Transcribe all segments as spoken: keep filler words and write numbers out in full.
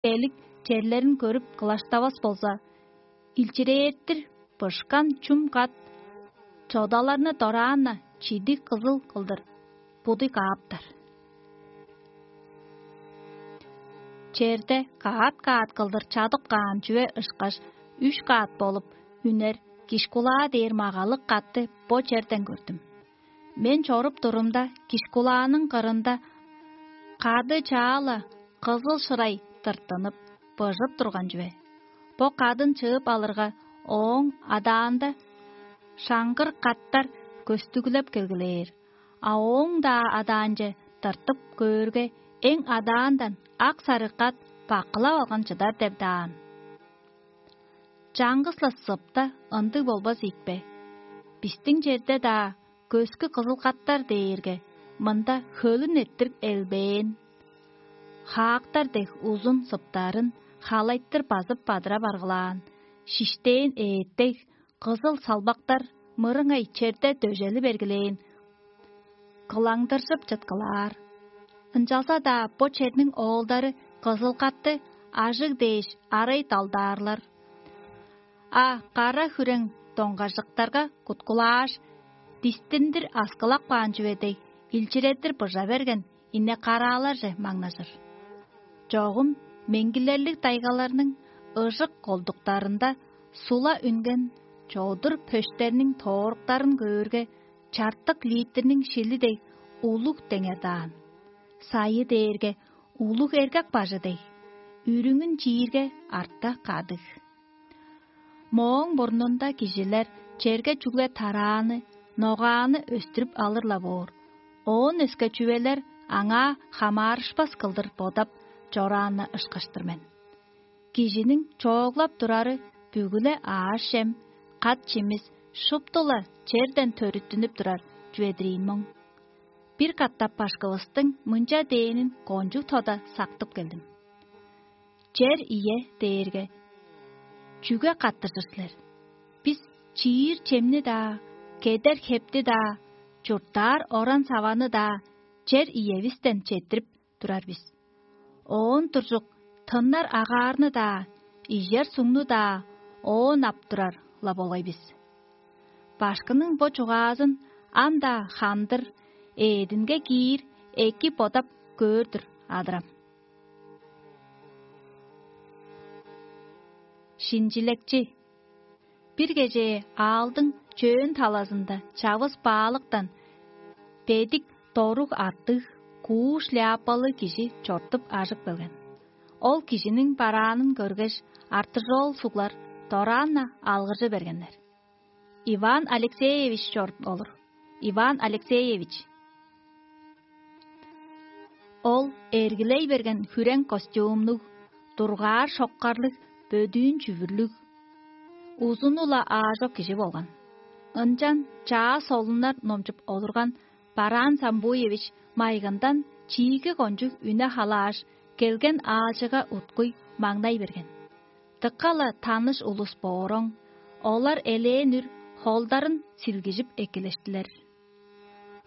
элик черлерин көрүп кылаштавас болза, илчирээттир бышкан чум кат чодаларны дораан-на чидиг кызыл кылдыр будуй кааптар. Черде каат-каат кылдыр чадып каан чүве ышкаш үш каат болуп үнер кишкулаа дээр магалыг катты бо черден көрдүм. Мен чоруп турумда, кишкулааның кырында кады чаа-ла кызыл шырай тырттынып, быжып турган чүве. Бо кадын чыып алырга, ооң адаанда шаңгыр каттар көстүглеп келгилээр, а ооң-даа адаанче тыртып көөрге, эң адаандан ак-сарыг кат баккылап алган чыдар деп даан. Чаңгыс-ла сыпта ындыг болбас ийикпе? Бистиң черде-даа көскү кызыл каттар дээрге мында хөлүн эрттирип элбээн, хаактар дег узун сыптарын халайтыр базып бадырап аргылаан, шиштээн ээттег кызыл салбактар мырыңай черде дөжели бергилээн, кылаңдыржып чыткылаар. Ынчалза-даа бо черниң оолдары кызыл катты ажыг дээш арай далдаарлар. А кара хүрең доңгажыктарга куткулааш, дистиндир аскылап каан чүве дег, илчиредир быжа берген ине-карааларже маңнажыр. Чогум меңгилерлиг дайгаларның ыжык колдуктарында сула үнген чодур пөштерниң тооруктарын көөрге, чартык литрниң шили дег улуг деңер даан. Сайы дээрге улуг эргек бажы дег, үрүңүн чиирге арта кадыг. Мооң мурнунда кижилер черге чүгле тарааны, ногааны өстүрүп алыр-ла боор, оон өске чүвелер аңаа хамаарышпас кылдыр бодап чорааны ышкаш-тыр мен. Кижиниң чооглап турары бүгү-ле аъш-чем, кат-чимис шупту-ла черден төрүттүнүп турар чүве-дир ийин моң. Бир катап башкывыстың мынча дээнин кончуг тода сактып келдим: «Чер ие дээрге, чүге каттыжыр силер? Бис чиир чемни-даа, кедер хепти-даа, чурттаар оран-саваны-даа чер иевистен четтирип турар бис. Оон туржук тыннар агаарны-даа, ижер сугну-даа оон ап турар-ла болгай бис». Башкының бо чугаазын ам-даа хандыр, эъдинге киир эки бодап көөр-дүр адырам. Шинчилекчи. Бир кежээ аалдың чөөн талазында чавыс баалыктан бедик доруг артыг, кууш ляапалы кижи чортуп ажып келген. Ол кижиниң бараанын көргеш, артыжоол суглар дораан-на алгыржы бергеннер: «Иван Алексеевич чоруп олур, Иван Алексеевич!» Ол эргилей берген хүрең костюмнуг, дургаар шоккарлыг, бөдүүн чүвүрлүг, узуну-ла аажок кижи болган. Ынчан чаа солуннар номчуп олурган Бараан Самбуевич майгындан чииги кончуг үне халааш, келген аалчыга уткуй маңнай берген. Дыка-ла таныш улус бооруң, олар элээн үр холдарын силгижип эккелештилер.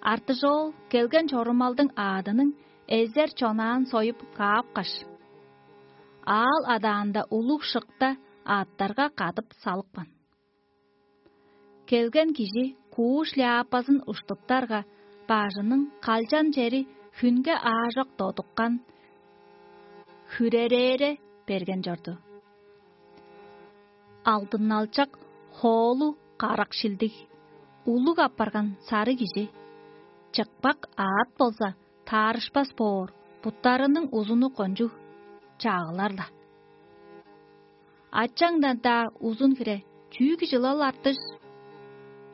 Артыжоол келген чорумалдың аадының эзер чонаан союп каапкаш, аал адаанда улуг шыкта аъттарга кадып салыпкан. Келген кижи кууш ляапазын уштуптарга, бажының калчан чери хүнге аажок додуккан, хүрерээре берген чорду. Алдынналчак, хоолу карак шилдиг, улуг апарган сарыг кижи, чыкпак аът болза, таарышпас боор, буттарының узуну кончуг, чагылар-ла. Ачаңдан-даа узун хире, чүү кижил ол, артыш?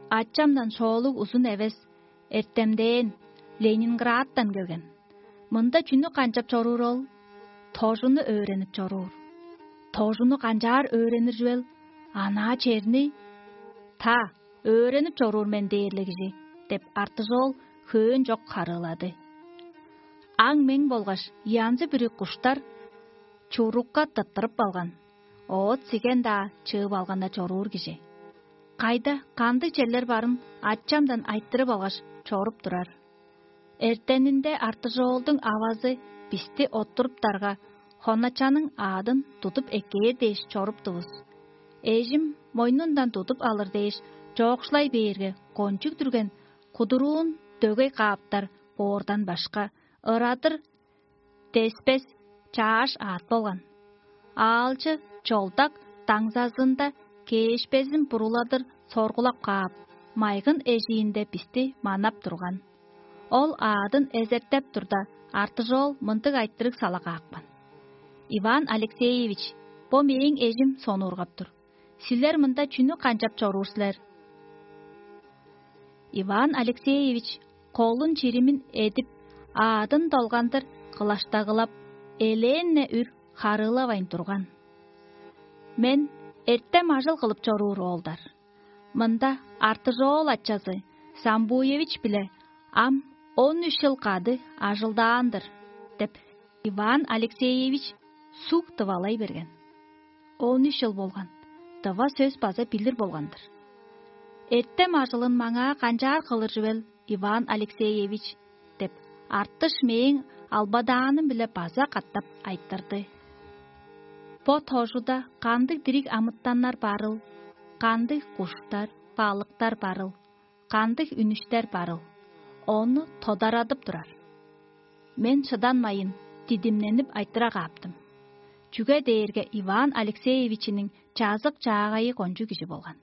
Ачамдан шоолуг узун эвес, эртемдээн, Ленинградтан келген. Мында чүнү канчап чоруур ол? Тожуну өөренип чоруур. Тожуну канчаар өөренир чүвел? Анаа черни. Та, өөренип чоруур мен дээрле кижи, — деп, артыжоол хөөн чок харыылады. Аң-мең болгаш янзы-бүрү куштар чурукка тыттырып алган, оът-сиген-даа чыып алган-на чоруур кижи. Кайда, кандыг черлер барын ачамдан айтырып алгаш, чоруп турар. Эртенинде артыжоолдуң авазы бисти оттуруптарга, хоначаның аадын тудуп эккээр дээш чоруптувус. Эжим мойнундан тудуп алыр дээш, чоокшулай бээрге, кончуг дүрген кудуруун дөгей кааптар боордан башка, ырадыр деспес чааш аът болган. Аалчы чолдак даңзазында кээшпезин буруладыр соргулап каап, майгын эжиинде бисти манап турган. Ол аадын эзертеп турда, артыжоол мындыг айтырыг сала каапкан: «Иван Алексеевич, бо мээң эжим сонуургап тур. Силер мында чүнү канчап чоруур силер?» Иван Алексеевич колун чиримин эдип, аадын долгандыр кылаштагылап, элээн-не үр харыылавайн турган. Мен эртем ажыл кылып чоруур оолдар. Мында артыжоол ачазы Самбуевич-биле ам он үш чыл кады ажылдаан-дыр деп, Иван Алексеевич суг дывалай берген. Он үш чыл болган, дыва сөс база билир болган-дыр. «Эртем ажылын маңаа канчаар кылыр чүвел, Иван Алексеевич?» — деп, артыш мээң албадааным-биле база катап айтырды. «Бо тожуда кандыг дириг амытаннар барыл, кандыг куштар, балыктар барыл, кандыг үнүштер барыл, ону тодарадып турар». Мен шыданмайын, дидимненип айтыра кааптым. Чүге дээрге Иван Алексеевичиниң чазык-чаагайы кончуг кижи болган.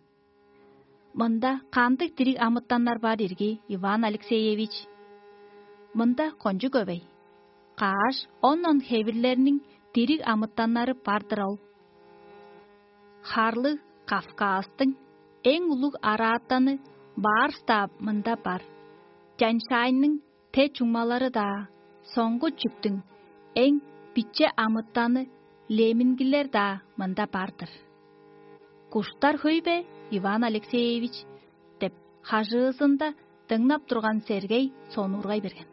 «Мында кандыг дириг амытаннар бар ирги, Иван Алексеевич?» «Мында кончуг көвей. Каш, он-он хевирлерниң дириг амытаннары бар-дыр ол. Харлыг Кавказтың эң улуг араатаны Барс-даа мында бар. Тянь-Шаньның те чуңмалары-даа, соңгу чүктүң эң биче амытаны лемингилер-даа мында бар-дыр». «Куштар хөй бе, Иван Алексеевич?» — деп, хажыызында дыңнап турган Сергей сонуургай берген.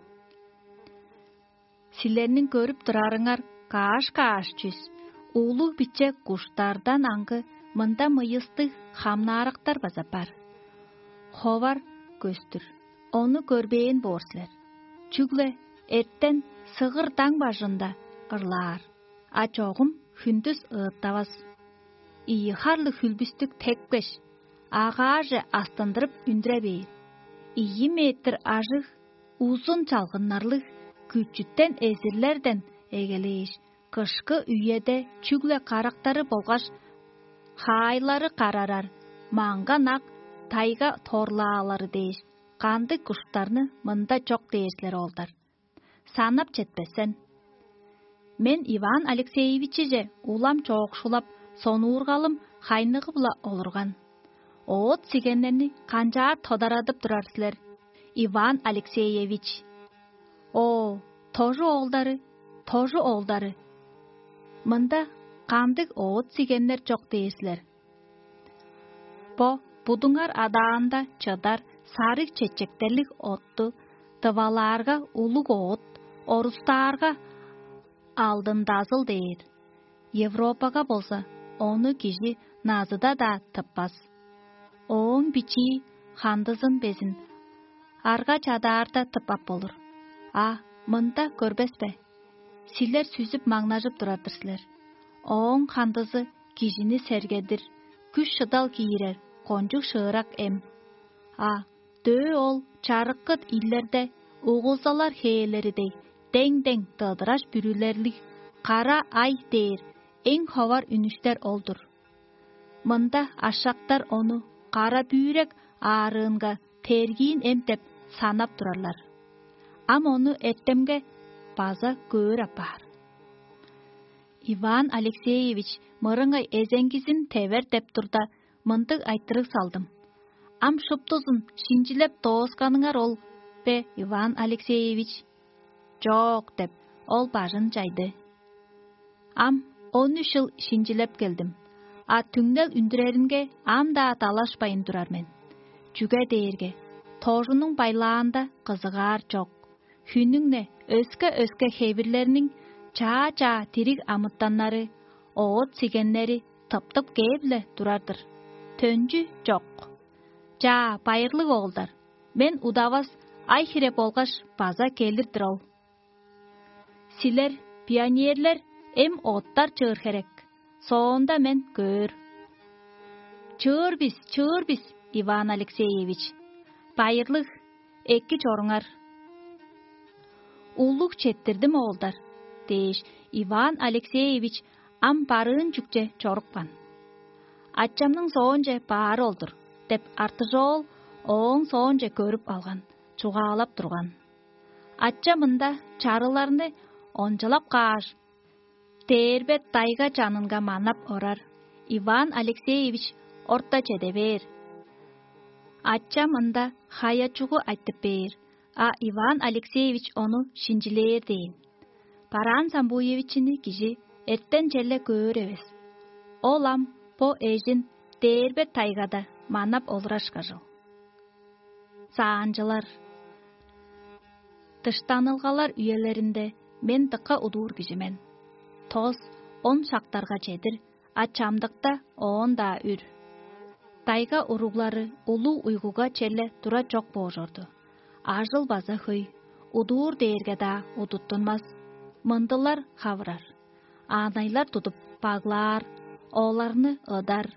«Силерниң көрүп турарыңар каш-каш чүс, улуг-биче куштардан аңгы мында мыйыстыг хамнаарактар база бар. Ховар көстүр, ону көрбээн боор силер. Чүгле эртен сыгыр даң бажында ырлаар, а чогум хүндүс ыыттавас. Ийи харлыг хүлбүстүк тепкеш, агааже астындырып үндүре бээр. Ийи метр ажыг, узун чалгыннарлыг, күчүтен эзирлерден эгелээш, кышкы үеде чүгле карактары болгаш хаайлары карарар маңган ак тайга торлаалары дээш, кандыг куштарны мында чок дээр силер, оолдар. Санап четпес сен». Мен Иван Алексеевичиже улам чоокшулап, сонуургалым хайныгы-биле олурган: «Оът-сигеннерни канчаар тодарадып турар силер, Иван Алексеевич?» «О, тожу оолдары, тожу оолдары! Мында кандыг оът-сигеннер чок дээр силер? Бо будуңар адаанда чыдар сарыг чечектерлиг отту дывалаарга улуг оът, орустаарга алдындазыл дээр. Европага болза, ону кижи назыда-даа тыппас. Ооң бичии хандызын безин арга чадаарда тыппап болур. А мында көрбес бе? Силер сүзүп-маңнажып турар-дыр силер. Ооң хандызы кижини сергедир, күш-шыдал киирер кончуг шыырак эм. А дөө ол чарыккыт ийлерде угулзалар хээлери дег, дең-дең дыдыраш бүрүлерлиг кара ай дээр эң ховар үнүштер ол-дур. Мында ашактар ону кара бүүрек аарыынга тергиин эм деп санап турарлар. Ам ону эртемге база көөр апаар». Иван Алексеевич мырыңай эзеңгизин тевер деп турда, мындыг айтырыг салдым: «Ам шуптузун шинчилеп доосканыңар ол бе, Иван Алексеевич?» «Чок» — деп, ол бажын чайды. Ам он үш чыл шинчилеп келдим, а түңнел үндүреринге ам-даа далашпайн турар мен. Чүге дээрге тожунуң байлаанда кызыгаар чок. Хүннүң-не өске-өске хевирлерниң чаа-чаа дириг амытаннары, оът-сигеннери тыптып кээп-ле турар-дыр. Төнчү чок. Чаа, байырлыг оолдар, мен удавас ай-хире болгаш база келир-дир ол. Силер, пионерлер, эм оттар чыыр херек. Соонда мен көөр. Чыыр бис, чыыр бис, Иван Алексеевич. Байырлыг, эки чоруңар. Улуг четтирдим, оолдар, дээш, Иван Алексеевич ам барыын чүкче чорупкан. Ачамның соонче баары ол-дур деп, артыжоол ооң соонче көрүп алган, чугаалап турган. Ача мында чарыларны ончалап кааш, дээрбе тайга чанынга манап орар. Иван Алексеевич орта чеде бээр. Ачам ында хая-чугу айтып бээр, а Иван Алексеевич ону шинчилээр дээн. Бараан Самбуевичини кижи эртен-челе көөр эвес. Ол ам бо эжин дээрбе тайгада манап олурашкажыл. Саанчылар. Дыштанылгалар үелеринде мен дыка удуур кижи мен. Тос, он шактарга чедир, а чамдыкта оон-даа үр. Тайга уруглары улуг уйгуга черле тура чок боожорду. Ажыл база хөй, удуур дээрге-даа удуттунмас. Мындылар хавырар. Аанайлар тудуп баглаар, оларны ыдар,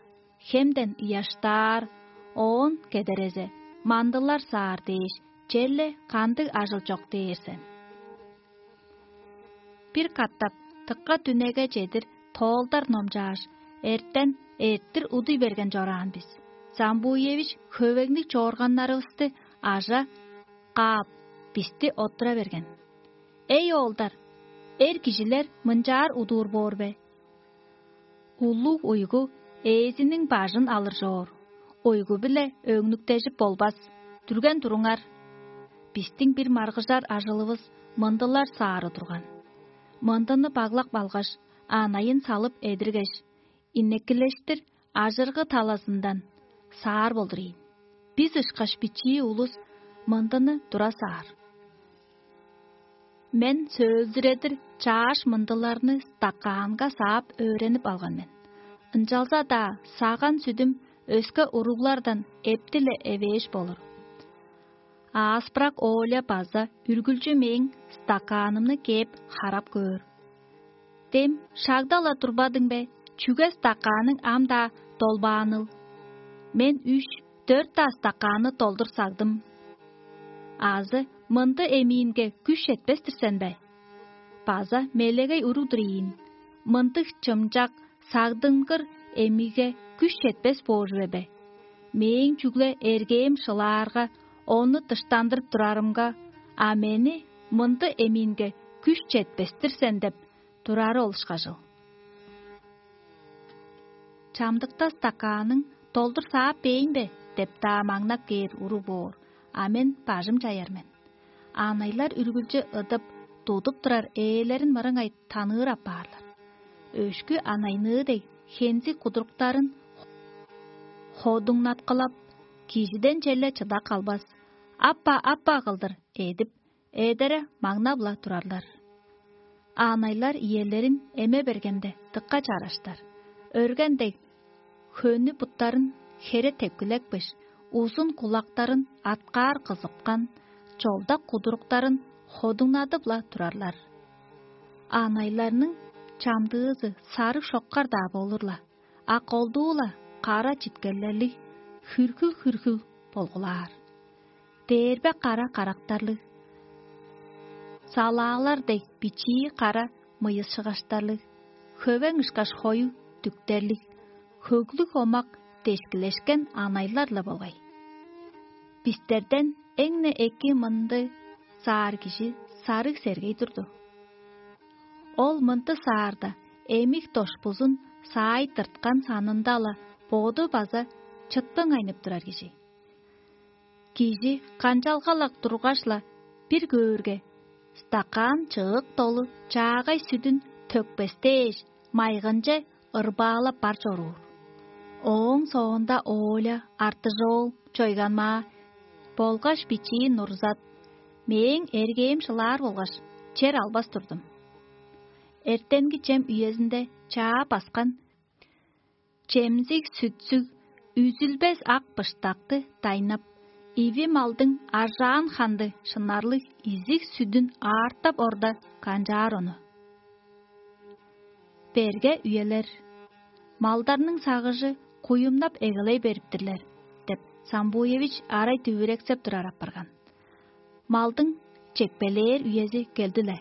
хемден ыяштаар, оон кедерезе, мандылар саар дээш, черле кандыг ажыл чок дээр сен. Бир катап дыка дүнеге чедир тоолдар номчааш, эртен эрттир удуй берген чораан бис. Самбуевич хөвегниг чоорганнарывысты ажа каап, бисти оттура берген. Эй, оолдар, эр кижилер мынчаар удуур боор бе? Улуг уйгу ээзиниң бажын алыр чоор. Уйгу-биле өңнүктежип болбас. Дүрген туруңар. Бистиң бир маргыжар ажылывыс мындылар саары турган. Мындыны баглап алгаш, анайын салып эдиргеш, иннеккилештир ажыргы талазындан саар болдур ийин. Бис ышкаш бичии улус мындыны тура саар. Мен сөөлзүредир чааш мындыларны стакаанга саап өөренип алган мен. Ынчалза-даа саган сүдүм өске уруглардан эптиле эвээш болур. Ааспырак Оля база үргүлчү мээң стакаанымны кээп харап көөр. Дем шагда-ла турбадың бе, чүге стакааның ам-даа долбааныл? Мен үш, дөрт-даа стакаанны долдур сагдым. Азы мынды эмиинге күш четпес-тир сен бе? База мелегей уруг-дур ийин, мындыг чымчак, сагдынгыр эмиге күш четпес боор чүве бе? Мээң чүгле эргээм шылаарга, ону дыштандырып турарымга, а мени мынды эмиинге күш четпес-тир сен деп турары ол ышкажыл. Чамдыкта стакааның долдур саап бээйн бе деп-даа маңнап кээр уруг боор, а мен бажым чаяр мен. Анайлар үргүлчү ыдып, тудуп турар ээлерин мырыңай таныыр апаарлар. Өшкү анайныы дег хензиг кудуруктарын ходуңнаткылап, кижиден челе чыда калбас, аппа-аппа кылдыр эдип, эдере маңнап-ла турарлар. Аанайлар иелерин эме бергенде дыка чараштар. Өрген дег, хөнү буттарын хере тепкилекпеш, узун кулактарын аткаар кызыпкан, чолдак кудуруктарын ходуңнадып-ла турарлар. Аанайларның чамдыызы сарыг шоккар-даа болур-ла, а колдуу-ла кара читкеллерлиг, хүрхүл-хүрхүл болгулаар. Дээрбе кара карактарлыг, салаалар дег бичии кара мыйысчыгаштарлыг, хөвең ышкаш хою дүктерлиг, хөглүг омак дешкилешкен анайлар-ла болгай. Бистерден эң-не эки мынды саар кижи сарыг сергей турду. Ол мынты саарда эмик дошпузун саай тырткан санында-ла боду база чыттың айнып турар кижи. Кижи канчалгалак тургаш-ла бир көөрге, стакан чыык долу чаагай сүдүн төкпестээш, майгынче ырбаалап бар чоруур. Ооң соонда Оля, Артыжоол, Чойганмаа болгаш бичии Нурзат мээң эргээм шылаар болгаш, чер албас турдум. Эртенги чем үезинде чаа баскан чемзиг-сүтсүг, үзүлбес ак быштакты дайнап, иви малдың ажаан ханды шынарлыг изиг сүдүн аартап орда канчаар ону. берге үелер. Малдарның сагыжы куюмнап эгелей бериптирлер деп, Самбуевич арай дүвүрексеп турар апарган. Малдың чекпелээр үези келди-ле.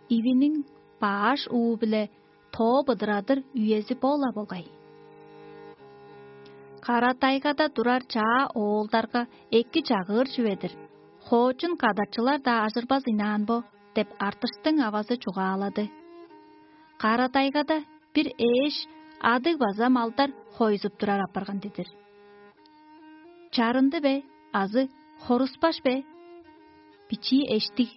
Ивиниң бааш уу-биле тоо быдырадыр үези бо-ла болгай. Кара тайгада турар чаа оолдарга эки чагыыр чүве-дир, хоочун кадарчылар-даа ажырбас ынаан бо деп, артыштың авазы чугаалады. Кара тайгада бир ээш адыг база малдар хойзуп турар апарган дидир. Чарынды бе азы хоруспаш бе? Бичии эштиг.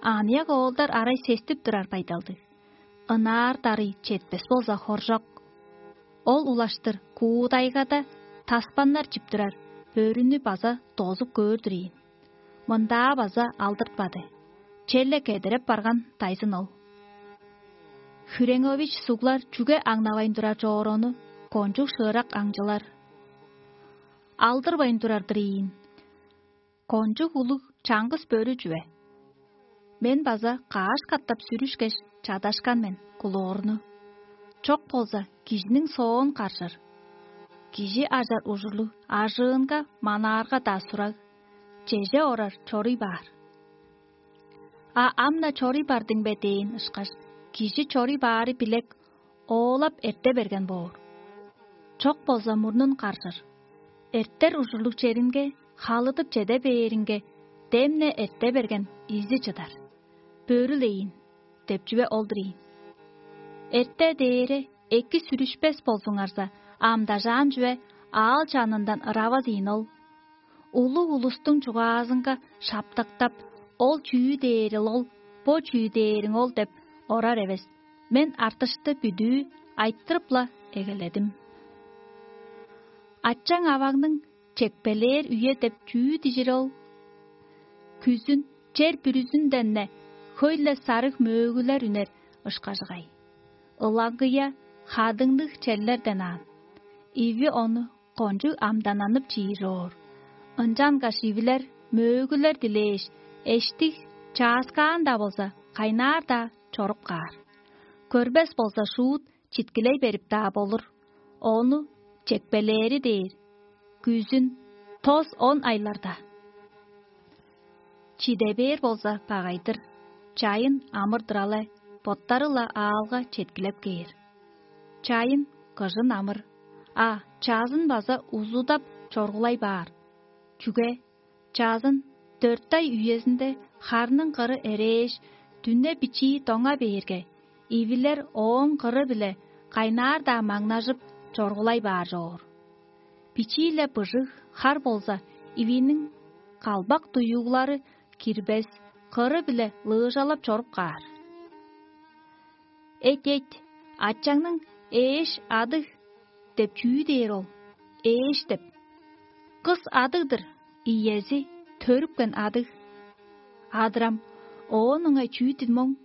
Аныяк оолдар арай сестип турар байдалдыг. Ынаар дарый четпес болза хоржок. Ол улаштыр куудайгада таспаннар чип турар бөрүнү база дозуп көөр-дүр ийин. Мындаа база алдыртпады. Черле кедереп барган дайзын ол. Хүрең ович суглар чүге аңнавайн турар чоор ону, кончуг шыырак аңчылар. Алдырбайн турар-дыр ийин. Кончуг улуг чаңгыс бөрү чүве. Мен база каш катап сүрүшкеш чадашкан мен кулоорну. Чок болза, кижиниң соон каржыр. Кижи ажар ужурлуг ажыынга манаарга-даа сураг, чеже орар чоруй баар. А ам-на чоруй бардың бе дээн ышкаш, кижи чоруй баары билек оолап эрте берген боор. Чок болза, мурнун каржыр. Эртер ужурлуг черинге халыдып чеде бээринге, демне эрте берген изи чыдар. Бөрүл эйин деп чүве ол-дур ийин. Эрте дээре эки сүрүшпес болзуңарза, амдажаан чүве аал чанындан ыравас ийин ол. Улуг улустуң чугаазынга шаптыктап, ол чүү дээрил ол, бо чүү дээриң ол деп орар эвес. Мен артышты бүдүү айтырып-ла эгеледим. Ачаң аваңның чекпелээр үе деп чүү дижир ол? Күзүн чер бүрүзүнден-не хөй-ле сарыг мөөгүлер үнер ышкажыгай. Ылаңгыя хадыңныг черлерден аан. Иви ону кончуг амдананып чиир чоор. Ынчангаш ивилер мөөгүлер дилээш, эштиг чааскаан-даа болза, кайнаар-даа чоруп каар. Көрбес болза, шуут читкилей берип-даа болур. Ону чекпелээри дээр. Күзүн тос он айларда. Чиде бээр болза, багай-дыр. Чайын амыр-дыр але, боттары-ла аалга четкилеп кээр. Чайын, кыжын амыр, а чаазын база узудап чоргулай баар. Чүге? Чаазын дөрт ай үезинде харның кыры эрээш, дүне бичии доңа бээрге, ивилер ооң кыры-биле кайнаар-даа маңнажып, чоргулай баар чоор. Бичии-ле быжыг хар болза, ивиниң калбак дуюглары кирбес, кыры-биле лыыжалап чоруп каар. Эт-эт, ачаңның ээш адыг деп чүү дээр ол? Ээш деп. Кыс адыг-дыр, иези төрүпкен адыг. Адырам, оон ыңай чүү дидим оң?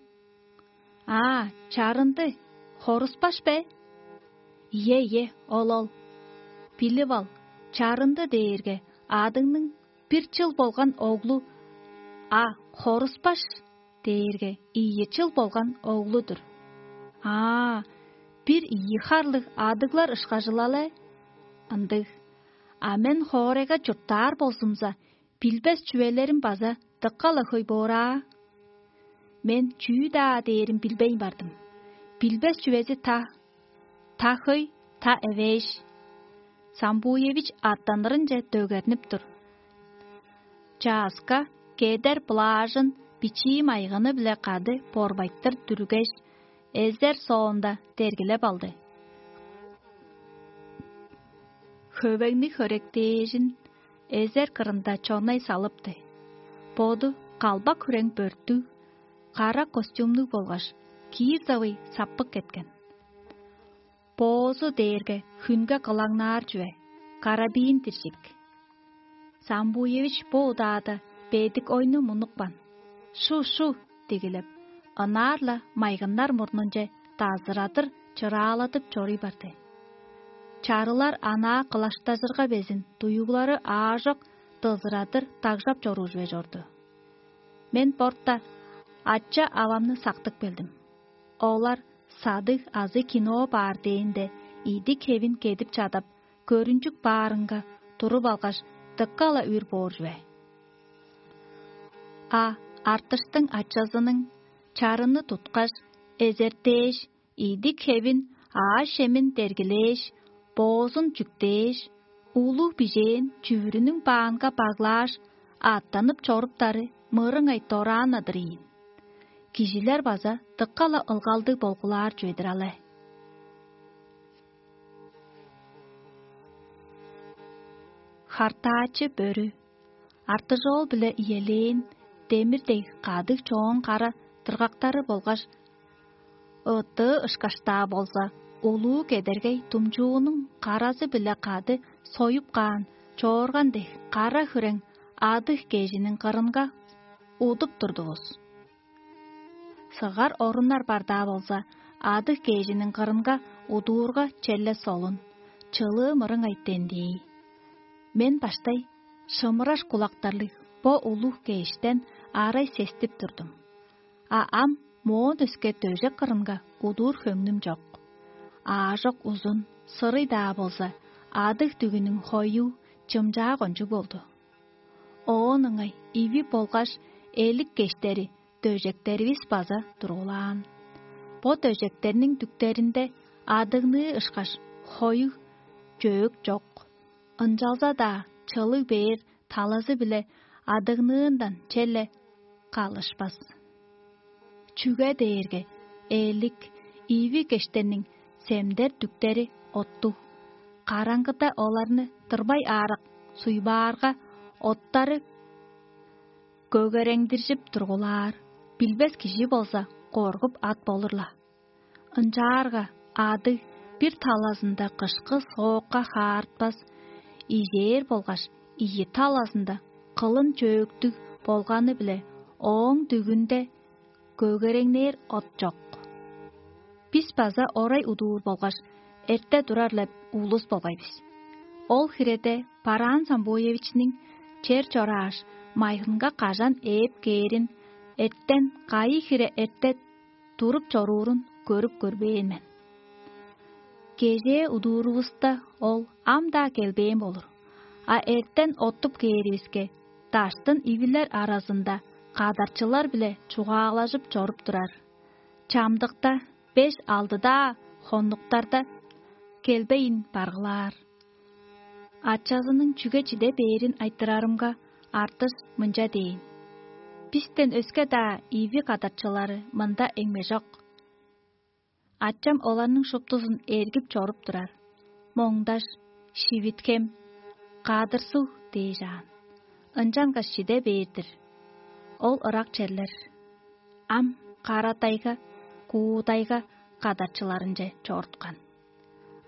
Аа, чарынды, хоруспаш бе? Ие, ие, ол ол. Билип ал, чарынды дээрге адыңның бир чыл болган оглу, а хоруспаш дээрге ийи чыл болган оглу-дур. Аа, бир ийи харлыг адыглар ышкажылал-е? Ындыг. А мен хоорайга чурттаар болзумза, билбес чүвелерим база дыка-ла хөй боор аа. Мен чүү-даа дээрин билбейн бардым. Билбес чүвези та, та хөй, та эвээш. Самбуевич аттанырынче дөгернип тур. Чааска кедер блажын бичии майгыны-биле кады борбайтыр дүргеш, эзер соонда дергилеп алды. Хөвеңни хөректээжин эзер кырында чонай салыпты. Боду калбак хүрең бөрттүг, кара костюмнуг болгаш киирзавый саппык кеткен. Боозу дээрге хүнге кылаңнаар чүве, карабин диржик. Самбуевич бо удаада бедик ойну мунупкан. Шу-шу дигилеп, ынаар-ла майгыннар мурнунче дазырадыр чырааладып чоруй барды. Чарылар анаа кылаштажырга безин дуюглары аажок дызырадыр дагжап чоруур чүве чорду. Мен борта ача-авамны сактып келдим. Олар садыг азы кино баар дээнде, идик-хевин кедип чадап, көрүнчүк баарынга туруп алгаш, дыка-ла үр боор чүве. А артыштың ачазының чарыны туткаш, эзертээш, идик-хевин, аъш-чемин дергилээш, боозун чүктээш, улуг бижээн чүвүрүнүң баанга баглааш, аъттанып чоруптары мырыңай дораан-на-дыр ийин. Кижилер база дыка-ла ылгалдыг болгулаар чүве-дир але. Хартаачы бөрү, артыжоол-биле иелээн демир дег кадыг чоон кара дыргактары болгаш ыттыы ышкаш-даа болза, улуу кедергей думчуунуң каразы-биле кады союп каан чоорган дег кара хүрең адыг кежиниң кырынга удуп турдувус. Сыгар оруннар бар-даа болза, адыг кежиниң кырынга удуурга черле солун, чылыы мырыңай дендии. Мен баштай шымыраш кулактарлыг бо улуг кештен арай сестип турдум. А ам моон өске дөжек кырынга удуур хөңнүм чок. Аажок узун, сырый-даа болза, адыг дүгүнүң хою чымчаа кончуг болду. Оон ыңай иви болгаш элик кештери дөжектеривис база тургулаан. Бо дөжектерниң дүктеринде адыгныы ышкаш хоюг чөөк чок. Ынчалза-даа чылыг бээр талазы-биле адыгныындан черле калышпас. Чүге дээрге элик, иви кештерниң семдер дүктери оттуг, караңгыда оларны тырбай аарак суйбаарга, оттары көгереңдиржип тургулаар, билбес кижи болза, коргуп ат болур-ла. Ынчаарга адыг бир талазында кышкы соокка хаарытпас, ижээр болгаш ийи талазында кылын чөөктүг болганы-биле ооң дүгүнде көгереңнээр от чок. Бис база орай удуур болгаш, эрте турар-ла улус болгай бис. Ол хиреде Бараан Самбуевичниң чер чорааш, майгынга кажан ээп кээрин, эртен кайы хире эрте туруп чоруурун көрүп көрбээн мен. Кежээ удуурувуста ол ам-даа келбээн болур, а эртен оттуп кээривиске, даштын ивилер аразында кадарчылар-биле чугаалажып чоруп турар. Чамдыкта беш-алдыдаа хоннуктарда келбейн баргылаар. Ачазының чүге чиде бээрин айтырарымга, артыш мынча дээн: «Бистен өске-даа ийви кадарчылары мында эңмежок. Ачам оларның шуптузун эргип чоруп турар: Моңдаш, Шивитхем, Кадыр-Суг дээш аан. Ынчангаш чиде бээр-дир. Ол ырак черлер». Ам Кара-Тайга, Куу-Тайга кадарчыларынче чоруткан.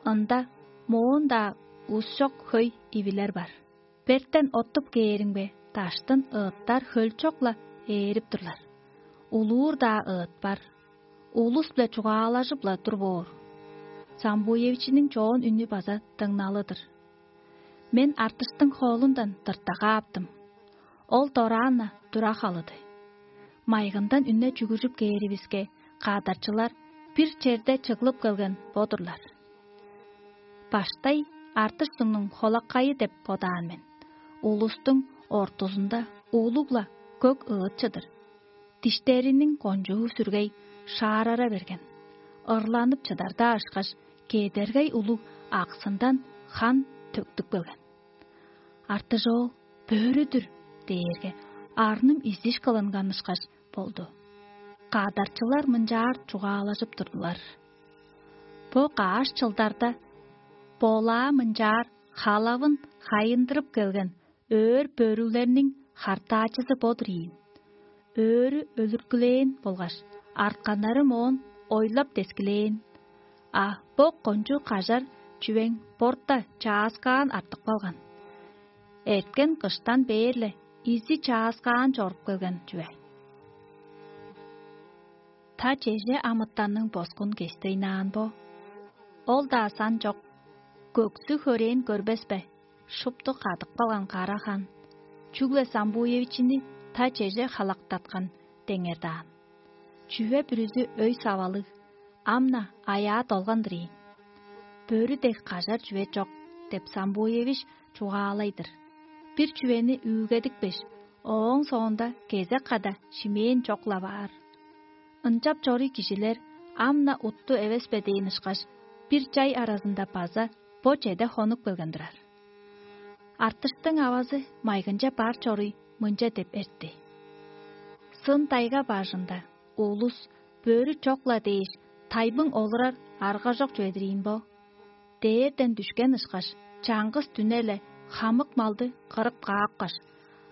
Ында моон-даа ус чок хөй ивилер бар. Бертен оттуп кээримге, даштын ыыттар хөлчок-ла ээрип турлар. Улуур-даа ыыт бар. Улус-биле чугаалажып-ла тур боор. Самбуевичиниң чоон үнү база дыңналы-дыр. Мен артыштың холундан тыртагааптым. Ол дораан-на тура халыды. Майгындан үне чүгүржүп кээривиске, кадарчылар бир черде чыглып келген бо-дурлар. Баштай артыштыңның холакайы деп бодаан мен. Улустуң ортузунда улуг-ла көк ыыт чыдыр. Диштериниң кончуу сүргей шаарара берген. Ырланып чыдарда ышкаш, кедергей улуг аксындан хан төктүп келген. «Артыжоол бөрү-дүр» дээрге, арным изиш кылынган ышкаш болду. Кадарчылар мынчаар чугаалажып турдулар: «Бо каш чылдарда болаа мынчаар халавын хайындырып келген өөр бөрүлерниң хартаачызы бо-дур ийин. Өөрү өлүрткүлээн болгаш, артканнары моон ойлап дескилээн. А бо кончуг кажар чүвең борта чааскаан артып калган. Эрткен кыштан бээр-ле изиг чааскаан чоруп келген чүве. Та чеже амытанның боскун кестейнаан бо? Ол-даа сан чок, көксү-хөрээн көрбес бе?» Шупту кадып калган кара хан чүгле Самбуевичини та чеже халактаткан деңер даан. Чүве бүрүзү өй-савалыг, Ам-на аяа долган-дыр ийин. Бөрү дег кажар чүве чок деп Самбуевич чугаалай-дыр. Бир чүвени үүгедипкеш, ооң соонда кезек када шимээн чок-ла баар. Ынчап чоруй кижилер ам-на утту эвес бе дээн ышкаш, бир чай аразында база бо чеде хонуп келген турар. Артыштың авазы майгынче бар чоруй мынча деп эртти: «Сын тайга бажында улус бөрү чок-ла дээш, тайбың олурар аргажок чүве-дир ийин бо? Дээрден дүшкен ышкаш, чаңгыс дүне-ле хамык малды кырып каапкаш,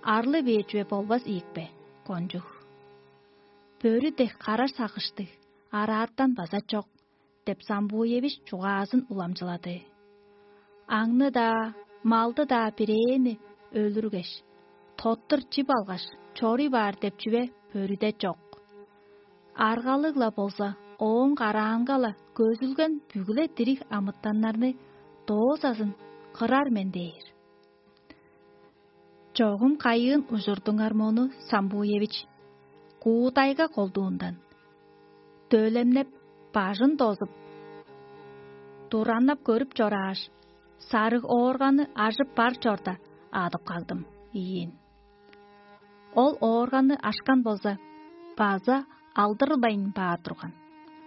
арлы бээр чүве болбас ийик бе, кончуг? Бөрү дег карар сагыштыг араатан база чок» — деп Самбуевич чугаазын уламчылады. Аңны-даа, малды-даа бирээни өлүргеш, тоттур чип алгаш, чоруй баар деп чүве бөрүде чок. Аргалыг-ла болза, ооң караанга-ла көзүлген бүгү-ле дириг амытаннарны доозазын кырар мен дээр. Чогум кайыын ужурдуңар мону, Самбуевич? Куудайга колдуундан, дөлемнеп, бажын дозуп, тураннап көрүп чорааш, сарыг оорганы ажып бар чорда адып кагдым ийин. Ол оорганы ашкан болза, база алдырылбайн баар турган.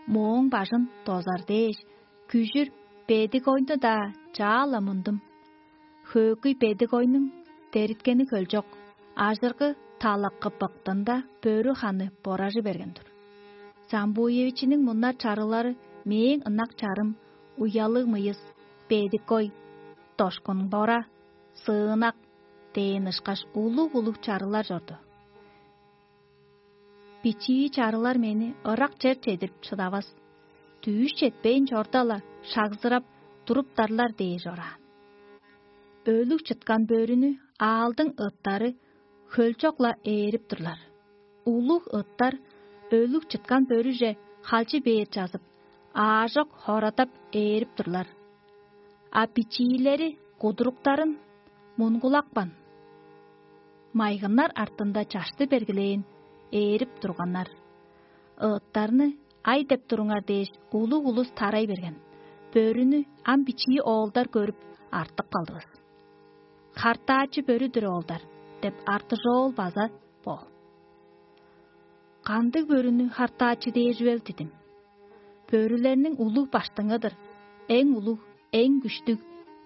Мооң бажын дозар дээш, күжүр бедик ойну-даа чаа-ла мундум. Хөөгүй бедик ойнуң дериткени хөлчок, ажыргы талакы быктында бөрү ханы боражы берген-дир. Самбуевичиниң муннар чарылары мээң ынак чарым, уялыг мыйыс, бедик ой, дошкун бора, сыынак дээн ышкаш улуг-улуг чарылар чорду. Бичии чарылар мени ырак чер чедирип шыдавас, дүүш четпейн чорда-ла шагзырап туруптарлар дээр чораан. Өлүг чыткан бөрүнү аалдың ыттары хөлчок-ла ээрип турлар. Улуг ыттар өлүг чыткан бөрүже халчы бээр чазып, аажок хорадап ээрип турлар. А бичиилери кудуруктарын мунгулапкан, майгыннар артында чашты бергилээн ээрип турганнар. Ыыттарны ай деп туруңар дээш, улуг улус тарай берген. Бөрүнү ам бичии оолдар көрүп, артып калдывыс. «Хартаачы бөрү-дүр, оолдар» деп артыжоол база бо. Кандыг бөрүнү хартаачы дээр чүвел дидим? Бөрүлерниң улуг баштыңы-дыр, эң улуг, эң күштүг,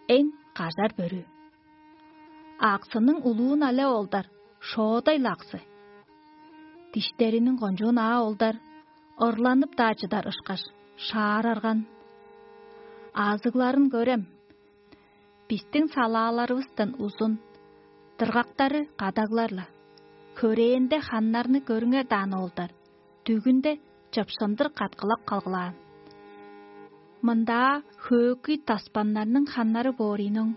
эң кажар бөрү. Аксының улуун але олдар, шоодай-ла аксы. Диштериниң кончуун аа олдар, ырланып-даа чыдар ышкаш, шаарарган. Азыгларын көрем, бистиң салааларывыстан узун, дыргактары кадаглар-ла. Хөрээнде ханнарны көрүңер даан, оолдар, дүгүнде чыпшындыр каткылап калгылаан. Мындаа хөөкүй таспаннарның ханнары боорийноң.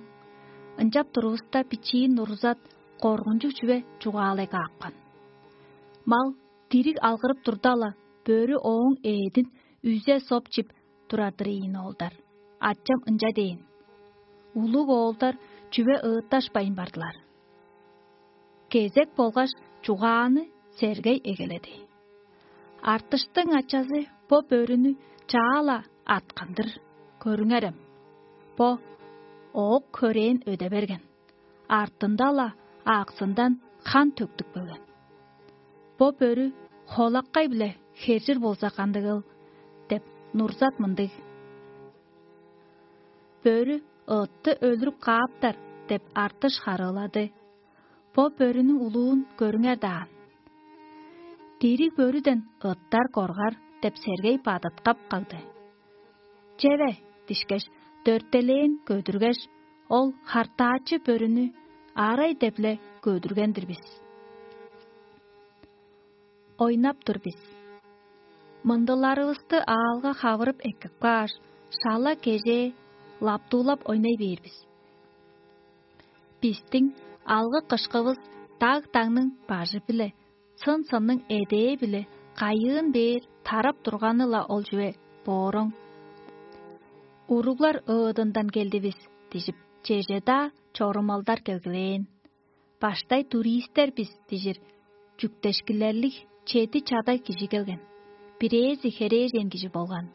Ынчап турувуста, бичиин урузат коргунчуг чүве чугаалай каапкан. Мал дириг алгырып турда-ла, бөрү ооң эъдин үзе соп чип турар-дыр ийин, оолдар. Ачам ынча дээн. Улуг оолдар чүве ыытташпайн бардылар. Кезек болгаш чугааны Сергей эгеледи. Артыштың ачазы бо бөрүнү чаа-ла аткан-дыр, көрүңерем. Бо оок хөрээн өде берген, артында-ла ааксындан хан төктүп келген. Бо бөрү холаккай-биле хержир болза кандыгыл деп, Нурзат мындыг. Бөрү ыытты өлүрүп кааптар деп, Артыш харыылады. Бо бөрүнүң улуун көрүңер даан. Дириг бөрүден ыттар коргар деп, Сергей бадыткап кагды. Чеве дишкеш, дөртелээн көдүргеш, ол хартаачы бөрүнү арай деп-ле көдүрген-дир бис. Ойнап тур бис. Мындыларывысты аалга хавырып эккеп кааш, шала кежээ лаптуулап ойнай бээр бис. Бистиң алгы-кышкывыс даг-даңның бажы-биле, сын-сынның эдээ-биле кайыын бээр тарап турганы-ла ол чүве бооруң. Уруглар ыыдындан келдивис дижип, чеже-даа чорумалдар келгилээн. Баштай туристер бис дижир чүктешкилерлиг чеди чадаг кижи келген. Бирээзи херээжен кижи болган.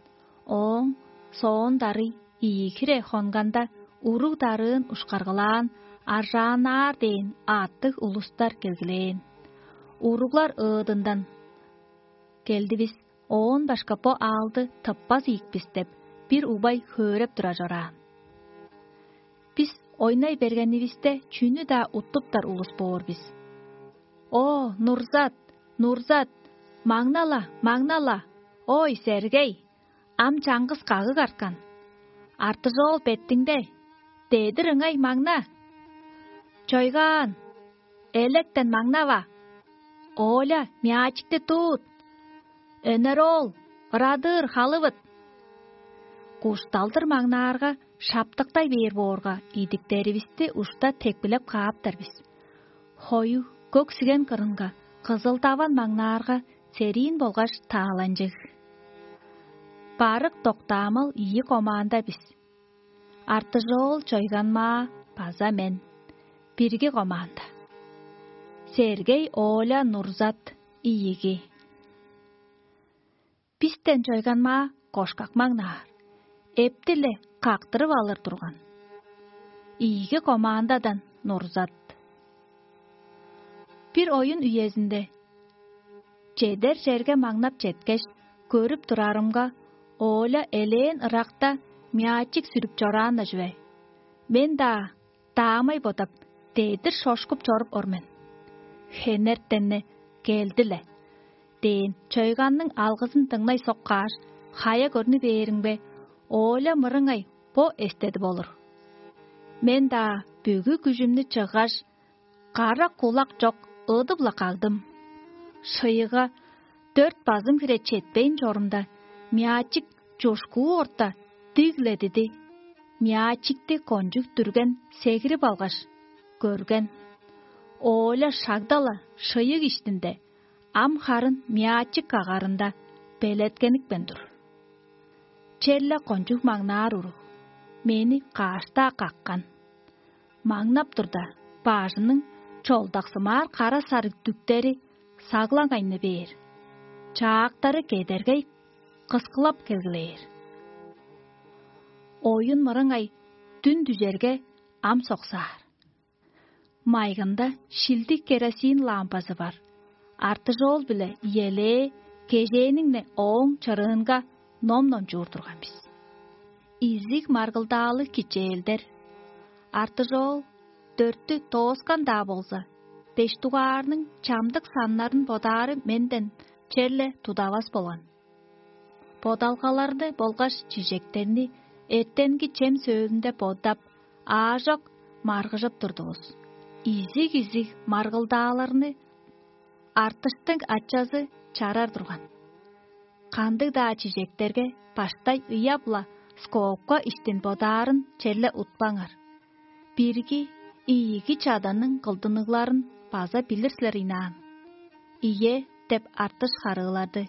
Ооң соон дарый ийи хире хонганда, уруг-дарыын ушкаргылаан, аржааннаар дээн аъттыг улустар келгилээн. Уруглар ыыдындан: «Келдивис, оон башка бо аалды тыппас ийик бис» — деп, бир убай хөөреп тура чораан. Бис ойнай бергенивисте, чүнү-даа уттуптар улус боор бис. «О, Нурзат, Нурзат, маңнала, маңнала! Ой, Сергей, ам чаңгыс кагыг арткан. Артыжоол беттиңде, дедир ыңай маңна! Чойгаан, электен маңнава! Оля, мячикти туут! Өнер-оол, ырадыыр халывыт!» Кушталдыр маңнаарга, шаптыктай бээр боорга, идиктеривисти ушта тепкилеп кааптар бис. Хою көк сиген кырынга кызыл-даван маңнаарга, сериин болгаш тааланчыг. Барык доктаамал ийи команда бис. Артыжоол, Чойганмаа база мен. Бирги команда. Сергей, Оля, Нурзат, ийиги. Бистен Чойганмаа кошкак маңнаар, эпти-ле кактырып алыр турган. Ийиги командадан Нурзат. Бир оюн үезинде чедер черге маңнап четкеш, көрүп турарымга, Оля элээн ыракта мячик сүрүп чораан-на чүве. Мен-даа даамай бодап, дедир шошкуп чоруп ор мен. Хенертен-не: «Келди-ле» — дээн Чойганның алгызын дыңнай соккааш, хая көрнү бээримге, Оля мырыңай бо эстедип олур. Мен-даа бүгү күжүмнү чыггаш, кара кулак чок, ыдып-ла кагдым. Шыйыга дөрт базым хире четпейн чорумда, мячик чушкуу орта диг-ле диди. Мячикти кончуг дүрген сегирип алгаш, көрген. Оля шагда-ла шыйыг иштинде, ам харын мячик кагарында белеткеникпейн тур. Черле кончуг маңнаар уруг мени каш-даа каккан. Маңнап турда, бажының чолдаксымаар кара-сарыг дүктери саглаңайны бээр, чаактары кедергей кыскылап келгилээр. Оюн мырыңай дүн дүжерге, ам соксаар. Майгында шилдиг керосин лампазы бар. Артыжоол-биле Иелээ кежээниң-не ооң чырыынга ном номчуур турган бис. Изиг маргылдаалыг кичээлдер. Артыжоол дөрттү дооскан-даа болза, беш дугаарның чамдык саннарын бодаары менден черле тудавас болган. Бодалгаларны болгаш чижектерни эртенги чем сөөлүнде бодап, аажок маргыжып турдувус. Изиг-изиг маргылдааларны артыштың ачазы чарар турган. Кандыг-даа чижектерге баштай ыяп-ла, скобка иштин бодаарын черле утпаңар. Бирги ийиги чаданның кылдыныгларын база билир силер ыйнаан. «Ийе» деп артыш харыылады.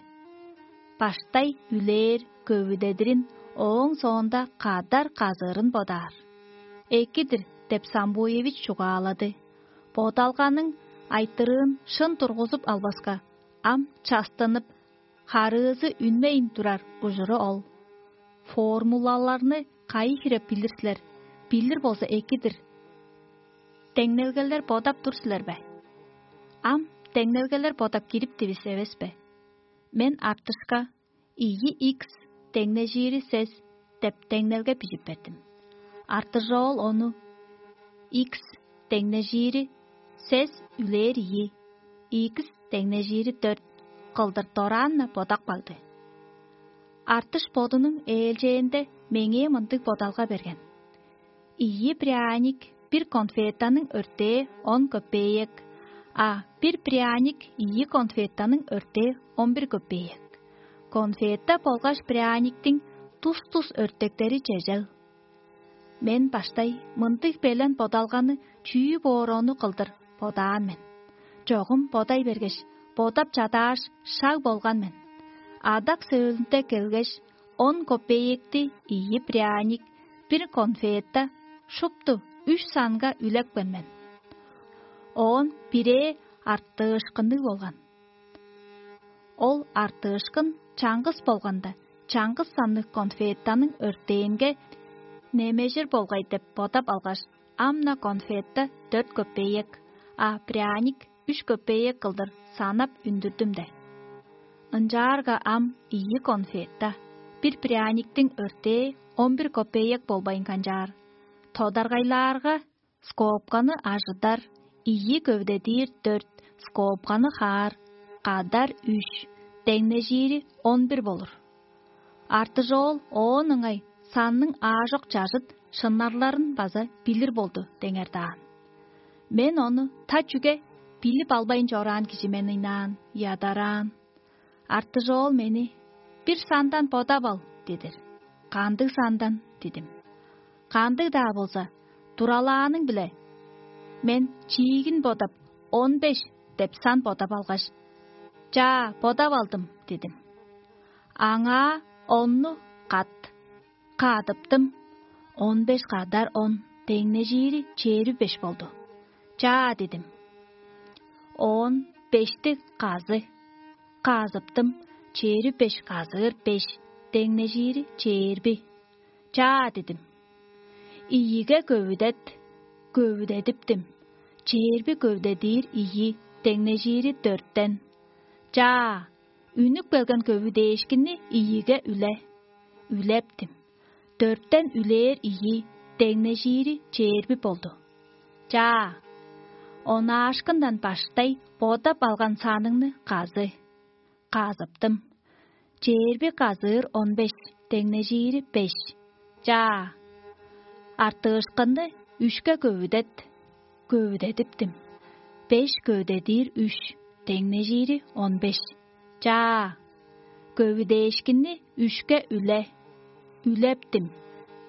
Баштай үлээр, көвүдедирин, ооң соонда кадар казыырын бодаар. «Эки-дир» деп Самбуевич чугаалады. Бодалганың айтырыын шын тургузуп албаска, ам частынып, харыызы үнмейн турар ужуру ол. Формулаларны кайы хире билир силер? Билир болза, эки-дир. Деңнелгелер бодап тур силер бе? Ам деңнелгелер бодап кириптивис эвес бе? Мен артышка ийи икс деңнежиири сес деп деңнелге бижип бердим. Артыжоол ону икс деңнежиири сес үлээр ийи, икс деңнежиири дөрт кылдыр дораан-на бодап кагды. Артыш бодунуң ээлчээнде меңээ мындыг бодалга берген: ийи пряник бир конфетаның өртээ он копеек, а бир пряник ийи конфетаның өртээ он бир копеек. Конфета болгаш пряниктиң тус-тус өртектери чежел. Мен баштай мындыг белен бодалганы чүү боор ону кылдыр бодаан мен. Чогум бодай бергеш, бодап чадааш, шаг болган мен. Адак сөөлүнде келгеш, он копеекти ийи пряник, бир конфета, шупту үш санга үлепкен мен. Оон бирээ артыышкынныг болган. Ол артыышкын чаңгыс болганда, чаңгыс санныг конфеттаның өртээнге немежир болгай деп бодап алгаш, ам-на конфетта дөрт көпеек, а пряник үш көпеек кылдыр санап үндүрдүм де. Ынчаарга ам ийи конфетта, бир пряниктиң өртээ он бир көпеек болбайн канчаар. Тодаргайлаарга, скобканы ажыдар, ийи көвдедир дөрт, скобканы хаар, кадар үш, деңнежиири он бир болур. Артыжоол оон ыңай санның аажок чажыт шыннарларын база билир болду деңер даан. Мен ону та чүге билип албайн чораан кижи мен ыйнаан, ядараан. Артыжоол мени: «Бир сандан бодап ал» — дедир. «Кандыг сандан?» — дидим. «Кандыг-даа болза, туралааның-биле». Мен чиигин бодап, он беш деп сан бодап алгаш: «Чаа, бодап алдым» — дидим. Аңаа онну кат, кадыптым. Он беш кадар он деңнежири чээрби беш болду. «Чаа» — дидим. Он бешти казы, казыптым. Чээрби беш казыыр беш деңнежири чээрби. «Чаа» — дидим. Ийиге көвүдет, көвүдедиптим. Чээрби көвүдедир ийи деңнежири дөрттен. «Чаа, үнүп келген көвүдээшкинни ийиге үле». Үлептим. Дөрттен үлээр ийи деңнежири чээрби болду. «Чаа». Онаашкындан баштай бодап алган саныңны казы. Казыптым. Чээрби казыыр он беш деңнежири беш. «Чаа». Артыышкынны үшке көвүдет. Көвүдедиптим. Беш көвүдедир үш деңнежири он беш. «Чаа». Көвүдээшкинни үшке үле. Үлептим.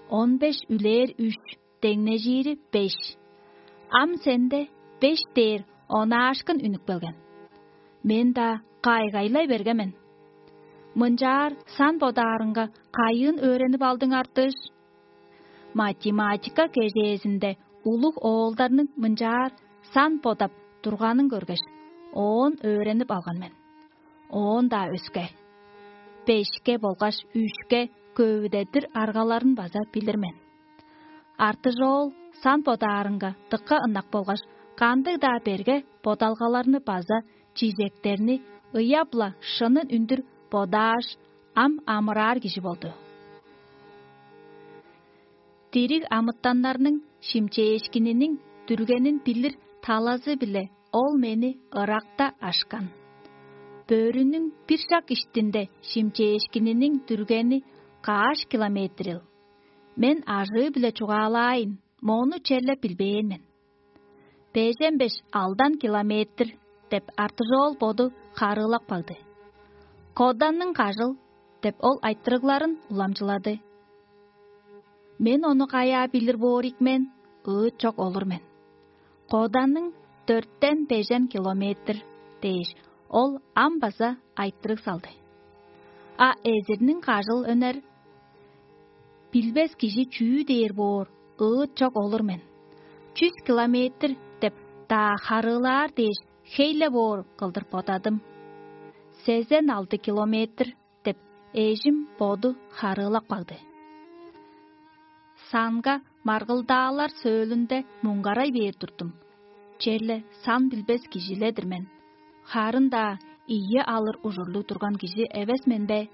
Он беш үлээр үш деңнежири беш. Ам сенде беш дээр онаашкын үнүп келген. Мен-даа кайгайлай берген мен. Мынчаар сан бодаарынга кайыын өөренип алдың, Артыш? Математика кежээзинде улуг оолдарның мынчаар сан бодап турганын көргеш, оон өөренип алган мен. Оон-даа өске, бешке болгаш үшке көвүдедир аргаларын база билир мен. Артыжоол сан бодаарынга дыка ынак болгаш, кандыг-даа берге бодалгаларны база чижектерни ыяп-ла шынын үндүр бодааш, ам амыраар кижи болду. Дириг амытаннарның шимчээшкининиң дүргенин билир талазы-биле ол мени ыракта ашкан. Бөрүнүң бир шак иштинде шимчээшкининиң дүргени каш километрил? Мен ажыы-биле чугаалаайн, мону черле билбээн мен. «Бежен беш-алдан километр» — деп Артыжоол боду харыылап кагды. «Коданның кажыл» — деп ол айтырыгларын уламчылады. Мен ону каяа билир боор ийик мен, ыыт чок олур мен. «Коданның дөрттен бежен километр» — дээш, ол ам база айтырыг салды. «А эзирниң кажыл өнер?» Билбес кижи чүү дээр боор, ыыт чок олур мен. «Чүс километр» — деп-даа харыылаар дээш, хей-ле боор кылдыр бодадым. «Сезен алды километр» — деп, эжим боду харыылап кагды. Санга маргылдаалар сөөлүнде муңгарай бээр турдум. Черле сан билбес кижи-ле-дир мен. Харын-даа ийи алыр ужурлуг турган кижи эвес мен бе?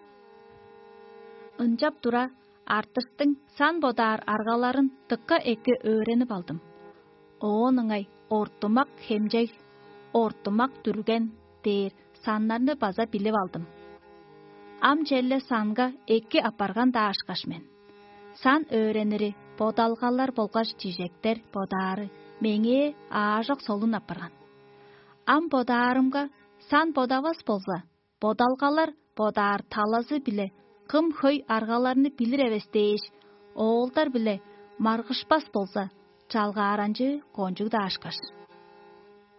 Ынчап тура, Артыштың сан бодаар аргаларын дыка эки өөренип алдым. Оон ыңай ортумак хемчег, ортумак дүрген дээр саннарны база билип алдым. Ам черле санга эки апарган-даа ышкаш мен. Сан өөренири бодалгалар болгаш чижектер бодаары меңээ аажок солун апарган. Ам бодаарымга, сан бодавас болза, бодалгалар бодаар талазы-биле кым хөй аргаларны билир эвес дээш, оолдар-биле маргышпас болза, чалгааранчыы кончуг-даа ышкаш.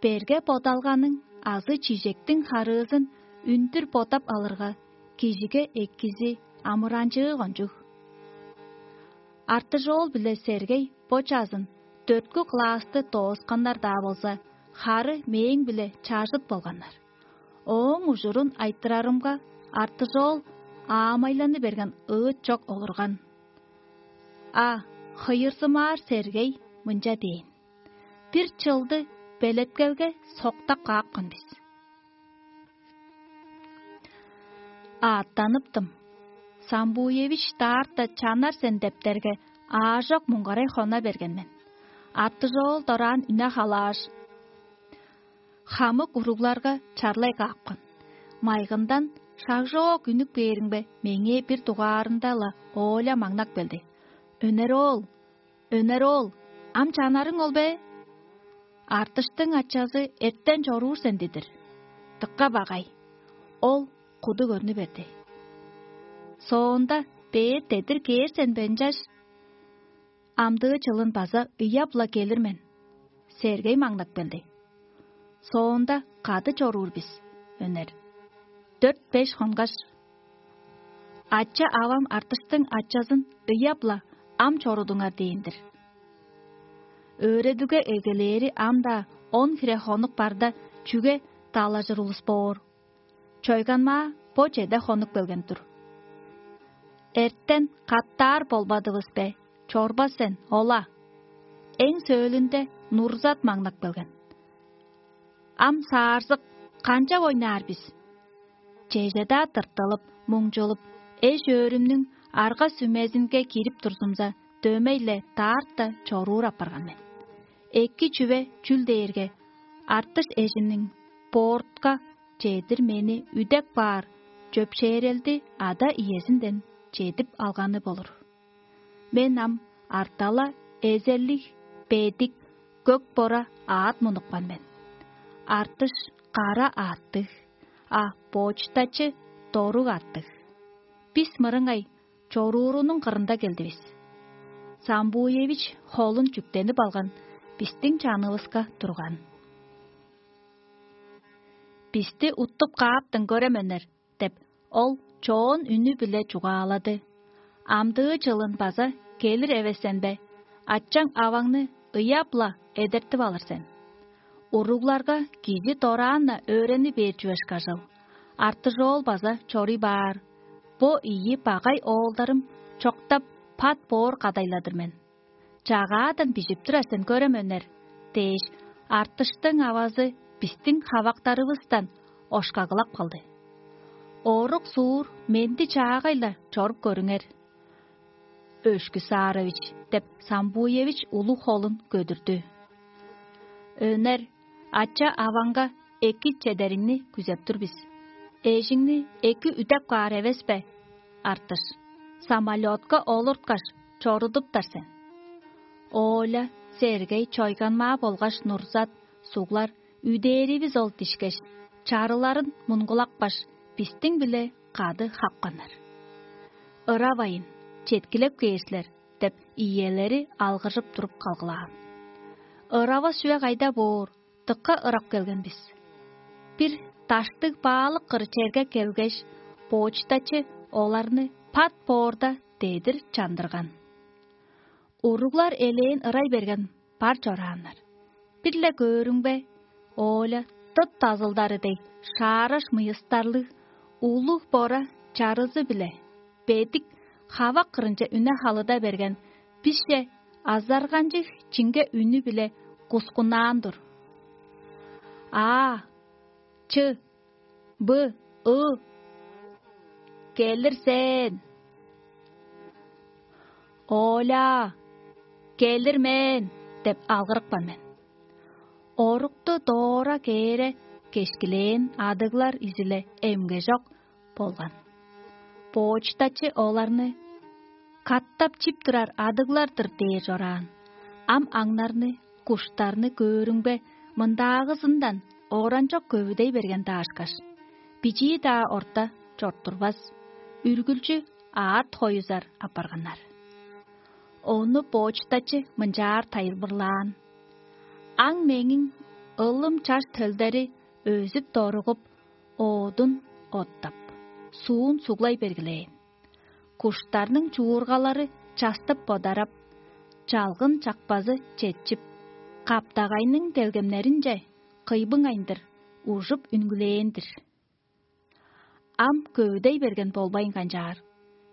Берге бодалганың азы чижектиң харыызын үндүр бодап алырга, кижиге экизи амыранчыы кончуг. Артыжоол биле Сергей бо чазын дөрткү классты доосканнар-даа болза, хары мээң-биле чажыт болганнар. Ооң ужурун айтырарымга, Артыжоол аамайланы берген ыыт чок олурган. А хыйырзымаар Сергей мынча дээн: «Бир чылды белеткелге соктап каапкан бис. Аъттаныптым. Самбуевич даарта чанар сен дептерге, аажок муңгарай хона берген мен. Аттыжоол дораан үне халааш, хамык уругларга чарлай каапкан. Майгындан шагжоок үнүп кээриңбе, меңээ бир дугаарында-ла Оля маңнап келди: «Өнер оол, өнер оол, ам чанарың ол бе? Артыштың ачазы эртен чоруур сен дидир. Дыка багай». Ол куду көрнү берди. Соонда бээр дедир кээр сен бе ынчаш? Амдыы чылын база ыяп-ла келир мен. Сергей маңнап келди. Соонда кады чоруур бис, өнер. Дөрт-беш хонгаш, ача-авам артыштың ачазын ыяп-ла ам чорудуңар дээн-дир. Өөредүге эгелээри ам-даа он хире хонук барда, чүге далажыр улус боор. Чойганмаа бо чеде хонук келген тур. Эртен каттаар болбадывыс бе? Чорбас сен, ола. Эң сөөлүнде Нурзат маңнап келген. Ам саарзык, канчап ойнаар бис? Чеже-даа тыртылып, муңчулуп, эш-өөрүмнүң арга-сүмезинге кирип турзумза, дөмей-ле даарта чоруур апарган мен. Эки чүве чүл дээрге, артыш эжимниң боортка чедир мени үдеп каар чөпшээрелди ада-иезинден чедип алганы болур. Мен ам артала эзерлиг, бедик, көк бора аът мунупкан мен. Артыш кара аъттыг, а почтачы доруг аъттыг. Бис мырыңай чоруурунуң кырында келдивис. Самбуевич холун чүктенип алган, бистиң чанывыска турган. «Бисти уттуп кааптың, көрем, өнер» — деп, ол чоон үнү-биле чугаалады. «Амдыы чылын база келир эвес сен бе? Ачаң-аваңны ыяап-ла эдертип алыр сен. Уругларга кижи дораан-на өөрени бээр чүве ышкажыл. Артыжоол база чоруй баар. Бо ийи багай оолдарым чоктап, пат боор кадайладыр мен. Чагаадан бижип турар сен, көрем, өнер» — дээш, артыштың авазы бистиң хавактарывыстан ошкагылап калды. «Орук-суур менди чаагай-ла чоруп көрүңер, Өшкү Саарович» — деп, Самбуевич улуг холун көдүрдү. «Өнер, ача-аваңга эки чедериңни күзеп тур бис. Эжиңни эки үдеп каар эвес бе, Артыш? Самолётка олурткаш, чорудуптар сен. Оля, Сергей, Чойганмаа болгаш Нурзат суглар үдээривис ол дишкеш, чарыларын мунгулапкаш, бистиң-биле кады хапканнар. Ыравайн, четкилеп кээр силер» — деп, иелери алгыржып туруп калгылаан. Ыравас чүве кайда боор, дыка ырап келген бис. Бир даштыг баалык кыры черге келгеш, почтачы оларны пат боорда дедир чандырган. Уруглар элээн ырай берген, бар чорааннар. Бир-ле көөрүңбе, Оля дыт дазылдары дег шаараш мыйыстарлыг, улуг бора чарызы-биле бедик хавак кырынче үне халыда берген, бисче азарганчыг чиңге үнү-биле кускуннаан-дыр: «А, чы, бы, ы, келир сен! Оля, келир мен!» — деп алгырыпкан мен. Орукту доора кээре кешкилээн адыглар изиле эмгежок болган. Почтачы оларны: «Катап чип турар адыглар-дыр» — дээр чораан. Ам аңнарны, куштарны көөрүңбе, мындаагызындан оранчок көвүдей берген даашкаш, бичии-даа орта чорттурбас, үргүлчү аът хоюзар апарганнар. Ону почтачы мынчаар тайылбырлаан: «Аң меңиң ылым чаш төлдери өзүп-доругуп, оодун оттап, суун суглай бергилээн. Куштарның чуургалары частып бодарап, чалгын чакпазы четчип, каптагайның делгемнеринче кыйбыңайындыр ужуп үнгүлээн-дир. Ам көвүдей берген болбайн канчаар,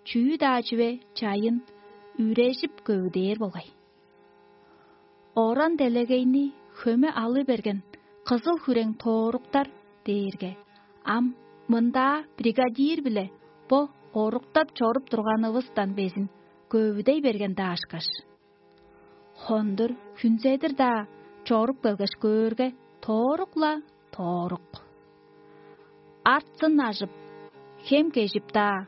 чүү-даа чүве чайын үрежип көвүдээр болгай. Оран делегейни хөме алы берген кызыл хүрең тооруктар дээрге, ам мындаа бригадир-биле бо оруктап чоруп турганывыстан безин көвүдей берген даашкаш. Хондур хүнзедир-даа чоруп келгеш көөрге, тоорук-ла тоорук. Артсын ажып, хем кежип-даа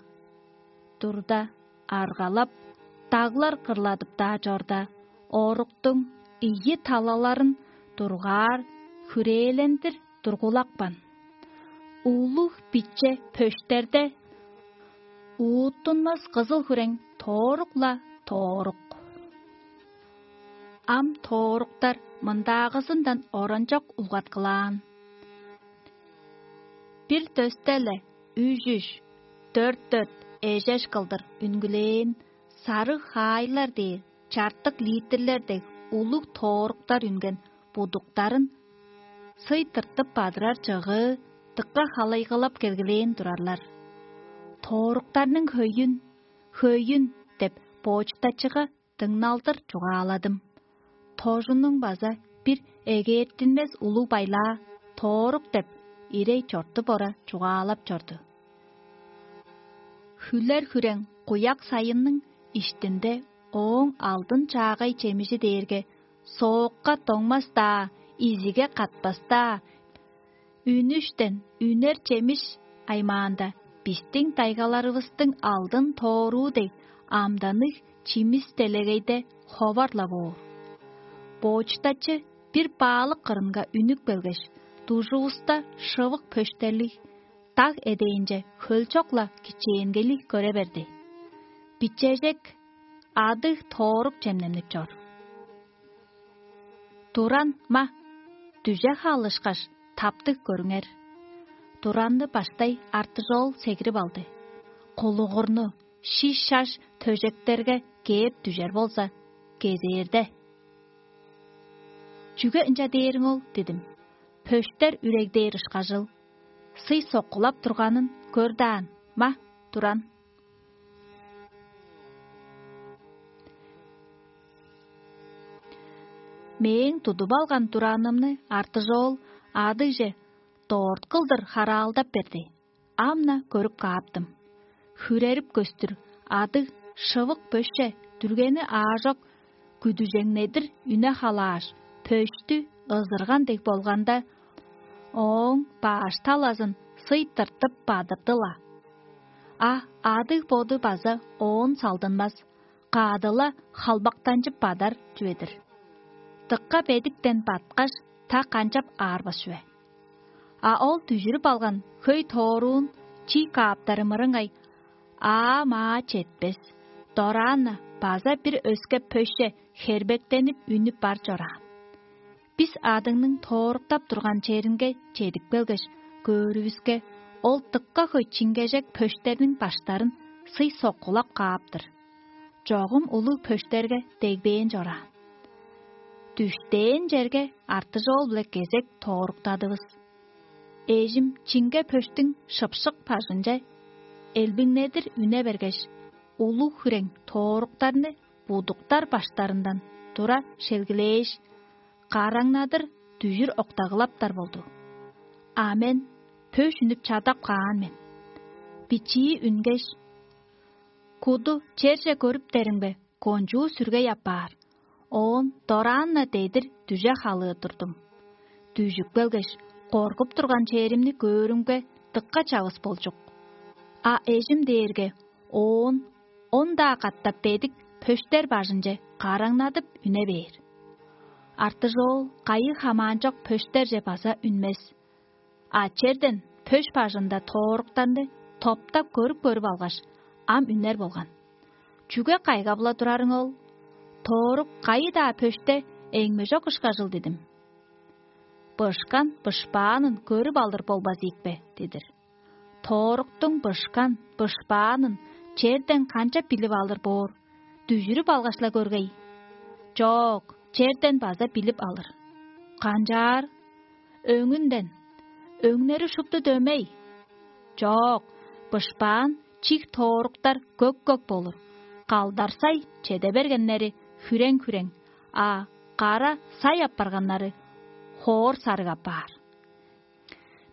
турда, аргалап, даглар кырладып-даа чорда, оруктуң ийи талаларын дургаар хүрээлендир тургулапкан. Улуг биче пөштерде ууттунмас кызыл хүрең тоорук-ла тоорук. Ам тооруктар мындаагызындан оранчок улгаткылаан. Бир дөстеле үжүш, дөрт-дөрт эжеш кылдыр үнгүлээн сарыг хаайлар дээр чартык литрлер дег улуг тооруктар үнген будуктарын сый тыртып бадырар чыгыы дыка халайгылап келгилээн турарлар. Тооруктарның хөйүн, хөйүн деп боочтачыга дыңналдыр чугааладым. Тожунуң база бир эгээртинмес улуг байлаа тоорук деп ирей чортуп ора чугаалап чорду. Хүлер хүрең куяк сайынның иштинде ооң алдын чаагай чемижи дээрге соокка доңмас-даа, изиге катпас-даа, үнүштен үнер чемиш аймаанда бистиң дайгаларывыстың алдын тооруу дег амданныг чимис делегейде ховар-ла боор. Боочтачы бир баалык кырынга үнүп келгеш, дужувуста шывык пөштерлиг даг эдээнче хөлчок-ла кичээнгейлиг көре берди. Бичежек адыг тоорук чемненип чор. Туран ма, дүже хаалышкаш, таптыг көрүңер. Туранны баштай артыжоол сегирип алды. Кулугурну шиш-шаш төжектерге кээп дүжер болза, кезээрде. Чүге ынча дээриң ол дидим. Пөштер үрегдээр ышкажыл. Сый соккулап турганын көр даан, ма, туран. Мээң тудуп алган туранымны артыжоол адыгже дорт кылдыр хараалдап берди. Ам-на көрүп кааптым. Хүрерип көстүр адыг шывык бөсче дүргени аажок күдүжеңнедир үне халааш, пөштү ызырган дег болганда, ооң баш талазын сый тыртып бадырды-ла. А адыг боду база оон салдынмас, каадыла халбактанчып бадар чүве-дир. Дыкка бедиктен баткаш, та канчап аарбас чүве. А ол дүжүрүп алган хөй тооруун чий кааптары мырыңай аа-маа четпес, дораан-на база бир өске пөсче хербектенип үнүп бар чораан. Бис адыңның тооруктап турган черинге чедип келгеш, көөрүвүске, ол дыкка хөй чиңгежек пөштерниң баштарын сый соккулап кааптыр. Чогум улуг пөштерге дегбээн чораан. Дүштээн черге артыжоол-биле кезек тооруктадывыс. Эжим чиңге пөштүң шыпшык бажынче элбиңнедир үне бергеш, улуг хүрең тооруктарны будуктар баштарындан тура шелгилээш, караңнадыр дүжүр октагылаптар болду. А мен пөш үнүп чадап каан мен. Бичии үнгеш, куду черже көрүптеримге, кончуу сүргей апаар, оон дораан-на дедир дүже халыыр турдум. Дүжүп келгеш, коргуп турган черимни көөрүмге, дыкка чавыс болчук. А эжим дээрге оон он-даа катап бедик пөштер бажынче караңнадып үне бээр. Артыжоол кайы хамаанчок пөштерже база үнмес. А черден пөш бажында тооруктарны топтап көрүп-көрүп алгаш, ам үнер болган. «Чүге кайгап-ла турарың ол? Тоорук кайы-даа пөште эңмежок ышкажыл» дидим. «Бышкан бышпаанын көрүп алыр болбас ийикпе?» дидир. Тооруктуң бышкан бышпаанын черден канчап билип алыр боор? Дүжүрүп алгаш-ла көргей. Чок, черден база билип алыр. Канчаар? Өңүнден. Өңнери шупту дөмей. Чок, бышпаан чиг тооруктар көк-көк болур, калдарсай чеде бергеннери хүрең-хүрең, а кара сай апарганнары хоор сарыг апаар.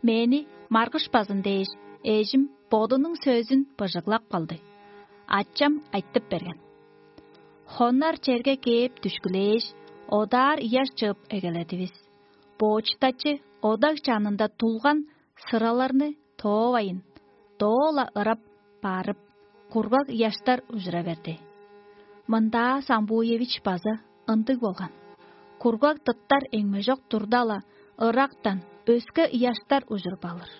Мени маргышпазын дээш, эжим бодунуң сөзүн быжыглап калды. Ачам айтып берген: «Хоннар черге кээп дүшкүлээш, одаар ыяш чыып эгеледивис. Боочтачы одаг чанында тулган сыраларны тоовайн, доо-ла ырап барып, кургаг ыяштар ужура берди. Мындаа Самбуевич база ындыг болган. Кургаг тыттар эңмежок турда-ла, ырактан өске ыяштар ужуруп алыр.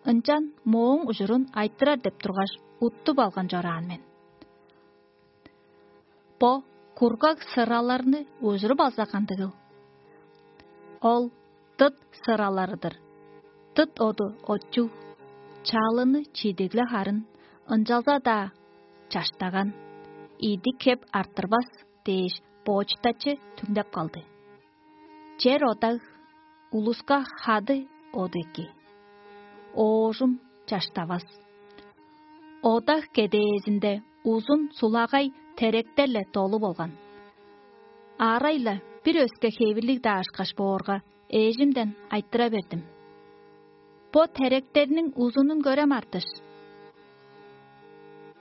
Ынчан мооң ужурун айтырар деп тургаш, уттуп алган чораан мен. Бо кургаг сыраларны ужуруп алза кандыгыл? Ол дыт сыралары-дыр. Дыт оду отчуг, чалыны чидигле харын, ынчалза-даа чаштаган, идик хеп арттырбас» дээш, боочтачы түңнеп калды. Чер одаг, улуска хады оду эки. Оожум чаштавас. Одаг кедээзинде узун сулагай теректер-ле долу болган. Арай-ла бир өске хевирлиг-даа ышкаш боорга, эжимден айтыра бердим: «Бо теректерниң узунун көрем, Артыш.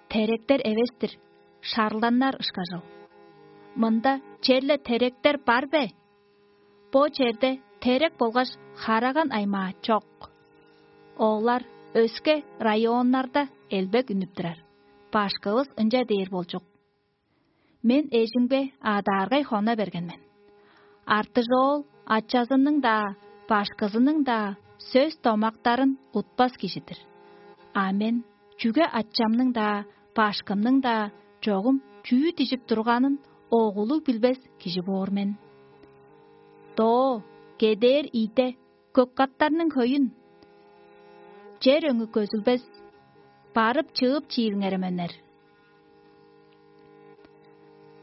Теректер эвес-тир, шарланнар ышкажыл. Мында черле теректер бар бе? Бо черде терек болгаш хараган аймаа чок. Олар өске районнарда элбек үнүп турар. Башкывыс ынча дээр болчук». Мен эжимге адааргай хона берген мен. Артыжоол ачазының-даа, башкызының-даа сөс-домактарын утпас кижи-дир. А мен чүге ачамның-даа, башкымның-даа чогум чүү дижип турганын оголуг билбес кижи боор мен. Доо кедээр ийде көк каттарның хөйүн, чер өңү көзүлбес, барып-чыып чиилиңер эменнер.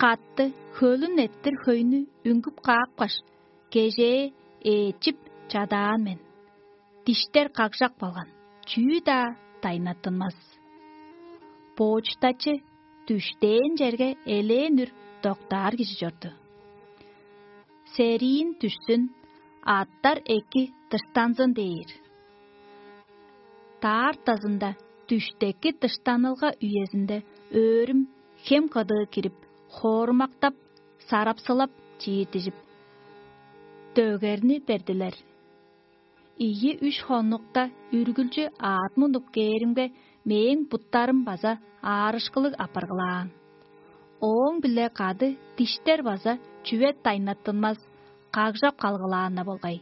Катты хөлүн эрттир хөйнү үңгүп каапкаш, кежээ ээчип чадаан мен. Диштер кагжак болган, чүү-даа дайнаттынмас. Боочтачы дүштээн черге элээн үр доктаар кижи чорду. Сериин дүшсүн, аттар эки дыштанзын дээр. Даартазында дүштеки дыштанылга үезинде өөрүм хем кыдыы кирип, хоорумактап, сарапсылап, чииртижип, дөгерни бердилер. Ийи-үш хоннукта үргүлчү аът мунуп кээримге, мээң буттарым база аарышкылыг апаргылаан. Ооң-биле кады диштер база чүве дайнаттынмас, кагжап калгылаан-на болгай.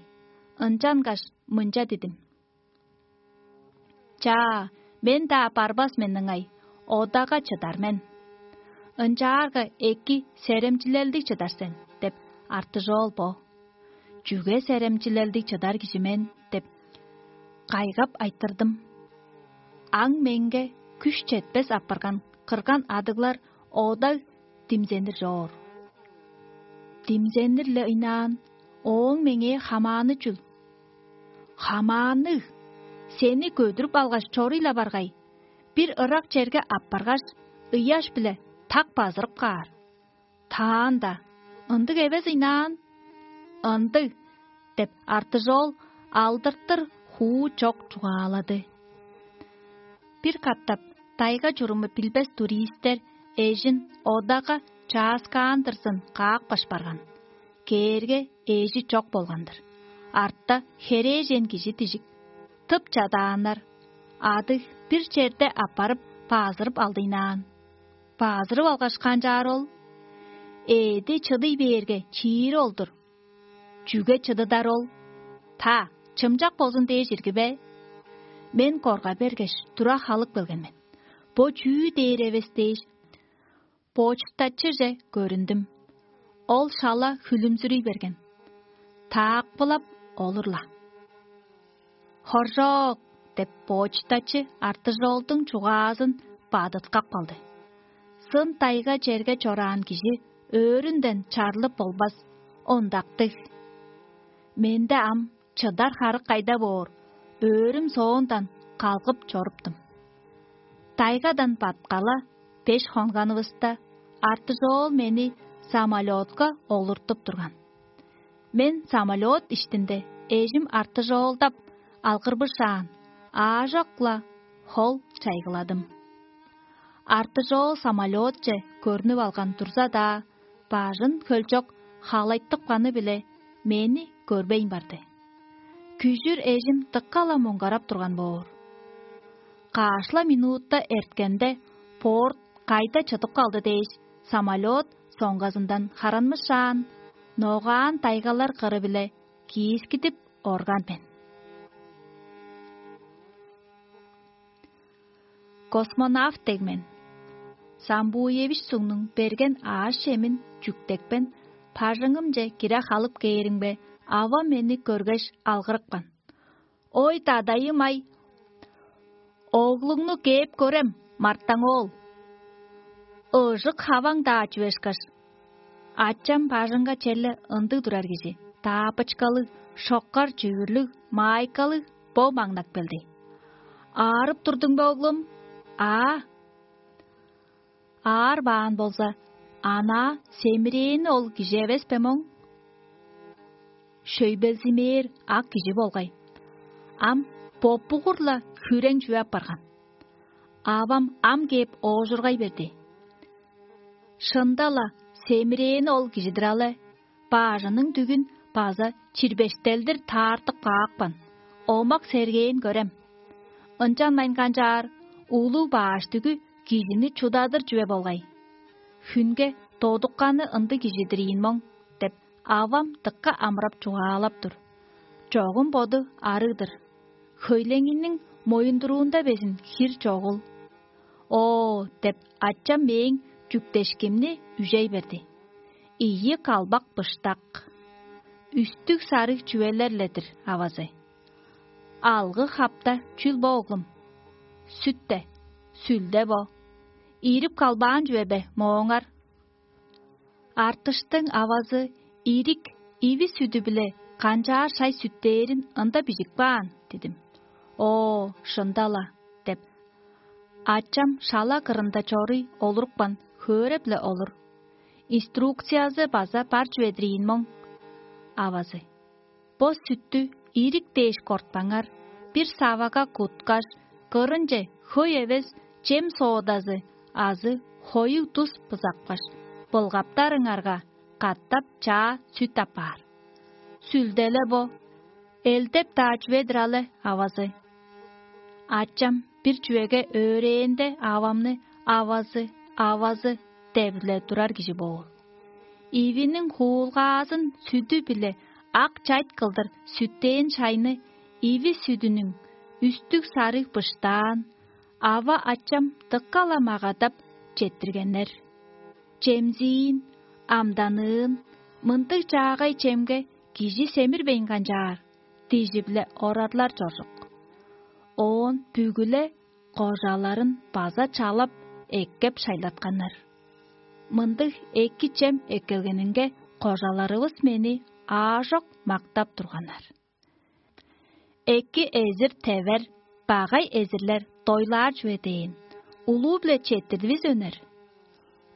Ынчангаш мынча дидим: «Чаа, мен-даа барбас мен ыңай, одага чыдар мен. Ынчаарга эки серемчилелдиг чыдар сен» — деп, артыжоол бо. «Чүге серемчилелдиг чыдар кижи мен?» — деп, кайгап айтырдым. Аң меңге күш четпес апарган кырган адыглар ода димзенир чоор. Димзенир-ле ыйнаан, ооң меңээ хамааны чүл? Хамаанныг, сени көдүрүп алгаш, чоруй-ла баргай, бир ырак черге аппаргаш, ыяш-биле так базырып каар. Таанда, ындыг эвес ыйнаан? Ындыг, — деп, артыжоол алдыртыр хуу чок чугаалады. Бир катап тайга чуруму билбес туристер эжин одага чааскаандырзын каапкаш барган. Кээрге, эжи чок болган-дыр. Артта херээжен кижи дижик. Тып чадааннар. Адыг бир черде аппарып, баазырып алдыйнаан. Баазырып алгаш, канчаар ол? Ээди чыдый бээрге, чиири ол-дур. Чүге чыдыдар ол? Та, чымчак болзун дээш ирги бе? Мен корга бергеш, тура халып келген мен. Бо чүү дээр эвес дээш, почтачыже көрүндүм. Ол шала хүлүмзүрүй берген. Таакпылап олур-ла. «Хоржок!» — деп, почтачы артыжоолдуң чугаазын бадыткап калды. Сын тайга черге чораан кижи өөрүнден чарлып болбас, ондактыг. Менде ам чыдар харык кайда боор, өөрүм соондан калгып чоруптум. Тайгадан баткала беш хонганывыста, Артыжоол мени самолётка олуртуп турган. Мен самолёт иштинде эжим Артыжоолдап алгырбышаан, аажок-ла хол чайгыладым. Артыжоол самолётче көрнүп алган турза-даа, бажын хөлчок халайтыпканы-биле мени көрбейн барды. Күжүр эжим дыка-ла муңгарап турган боор. Каш-ла минутта эрткенде, порт кайда чыдып калды дээш, самолёт соңгазындан харанмышаан, ногаан тайгалар кыры-биле киискидип орган мен. Космонавт дег мен. Самбуевич сугнуң берген аъш-чемин чүктекпен, бажыңымче кире халып кээримге, авам мени көргеш, алгырыпкан: «Ой, дадайым-ай, оглуңну кээп көрем, мартаң оол. Ыжык хаваң-даа чүве ышкаш». Ачам бажыңга черле ындыг турар кижи: таапычкалыг, шоккар чүвүрлүг, маайкалыг бо маңнап келди. «Аарып турдуң бе, оглум?» «Аа». «Аар баан болза, анаа семирээни ол кижи эвес бе моң? Шөйбелзимээр ак кижи болгай. Ам боппугур-ла хүрең чүве апарган». Авам ам кээп оожургай берди: «Шында-ла семирээни ол кижи-дир але, баажының дүгүн база чирбештелдир таартып каапкан, омак-сергээн көрем. Ынчанмайн канчаар, улуг бааш дүгү кижини чудадыр чүве болгай. Хүнге додукканы ындыг кижи-дир ийин моң» — деп, авам дыка амырап чугаалап тур. Чогум боду арыг-дыр. Хөйлеңиниң моюндуруунда безин хир чогул. «Оо» — деп, ачам мээң чүктешкимни үжей берди. Ийи калбак быштак, үстүг сарыг чүвелер-ле-дир авазы. «Алгы хапта чүл бо, оглум?» «Сүт-те, сүлде бо. Ирип калбаан чүве бе мооңар?» «Артыштың авазы ирик иви сүдү-биле канчаар шай сүттээрин ында бижип каан» — дидим. «Оо, шында-ла» — деп, ачам шала кырында чоруй олурупкан, хөөре-биле олур. «Инструкциязы база бар чүве-дир ийин моң». Авазы: «Бо сүттү ирик дээш кортпаңар, бир савага куткаш, кырынче хөй эвес чем соодазы азы хоюг тус бызапкаш, былгаптарыңарга, катап чаа сүт апаар». «Сүлде-ле бо. Элдеп-даа чүве-дир але авазы». Ачам бир чүвеге өөрээнде, авамны «авазы, авазы» деп-ле турар кижи боор. Ивиниң хуулгаазын сүдү-биле ак чайт кылдыр сүттээн шайны иви сүдүнүң үстүг сарыг быштаан, ава-ачам дыка-ла магадап четтиргеннер. «Чемзиин, амданыын, мындыг чаагай чемге кижи семирбейн канчаар» — дижи-биле орарлар чоржук. Оон бүгү-ле кожаларын база чалап, эккеп шайлатканнар. Мындыг эки чем эккелгенинге, кожаларывыс мени аажок мактап турганнар. «Эки эзир тевер, багай эзирлер дойлаар чүве» дээн, улуу-биле четтирдивис, өнер.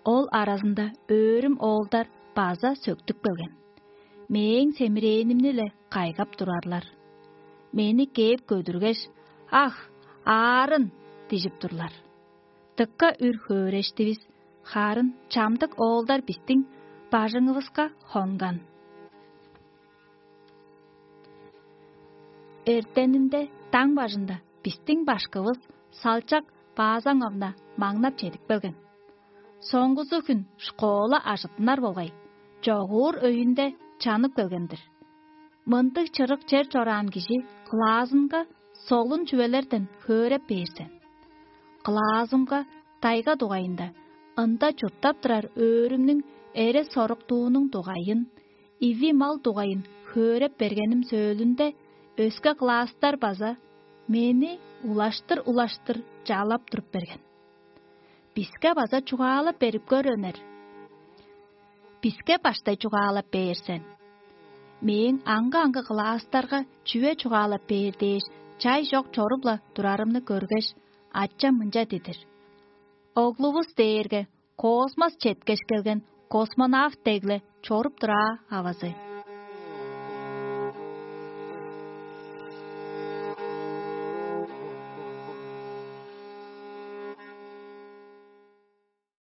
Ол аразында өөрүм оолдар база сөктүп келген. Мээң семирээнимни-ле кайгап турарлар. Мени кээп көдүргеш: «Ах, аарын!» — дижип турлар. Дыка үр хөөрештивис, харын чамдык оолдар бистиң бажыңывыска хонган. Эртенинде даң бажында бистиң башкывыс Салчак Баазаңовна маңнап чедип келген. Соңгузу хүн школа ажыттынар болгай, чогуур өйүнде чанып келген-дир. Мындыг чырык чер чораан кижи кылаазынга солун чүвелерден хөөреп бээр сен. Кылаазымга тайга дугайында, ында чурттап турар өөрүмнүң эре-соруктуунуң дугайын, иви мал дугайын хөөреп бергеним сөөлүнде, өске кылаастар база мени улаштыр-улаштыр чалап туруп берген. «Биске база чугаалап берип көр, өнер. Биске баштай чугаалап бээр сен». Мээң аңгы-аңгы кылаастарга чүве чугаалап бээр дээш, чай чок чоруп-ла турарымны көргеш, ачам мынча дидир: Оглувус дээрге космос четкеш келген космонавт дегле чоруп тураа авазы.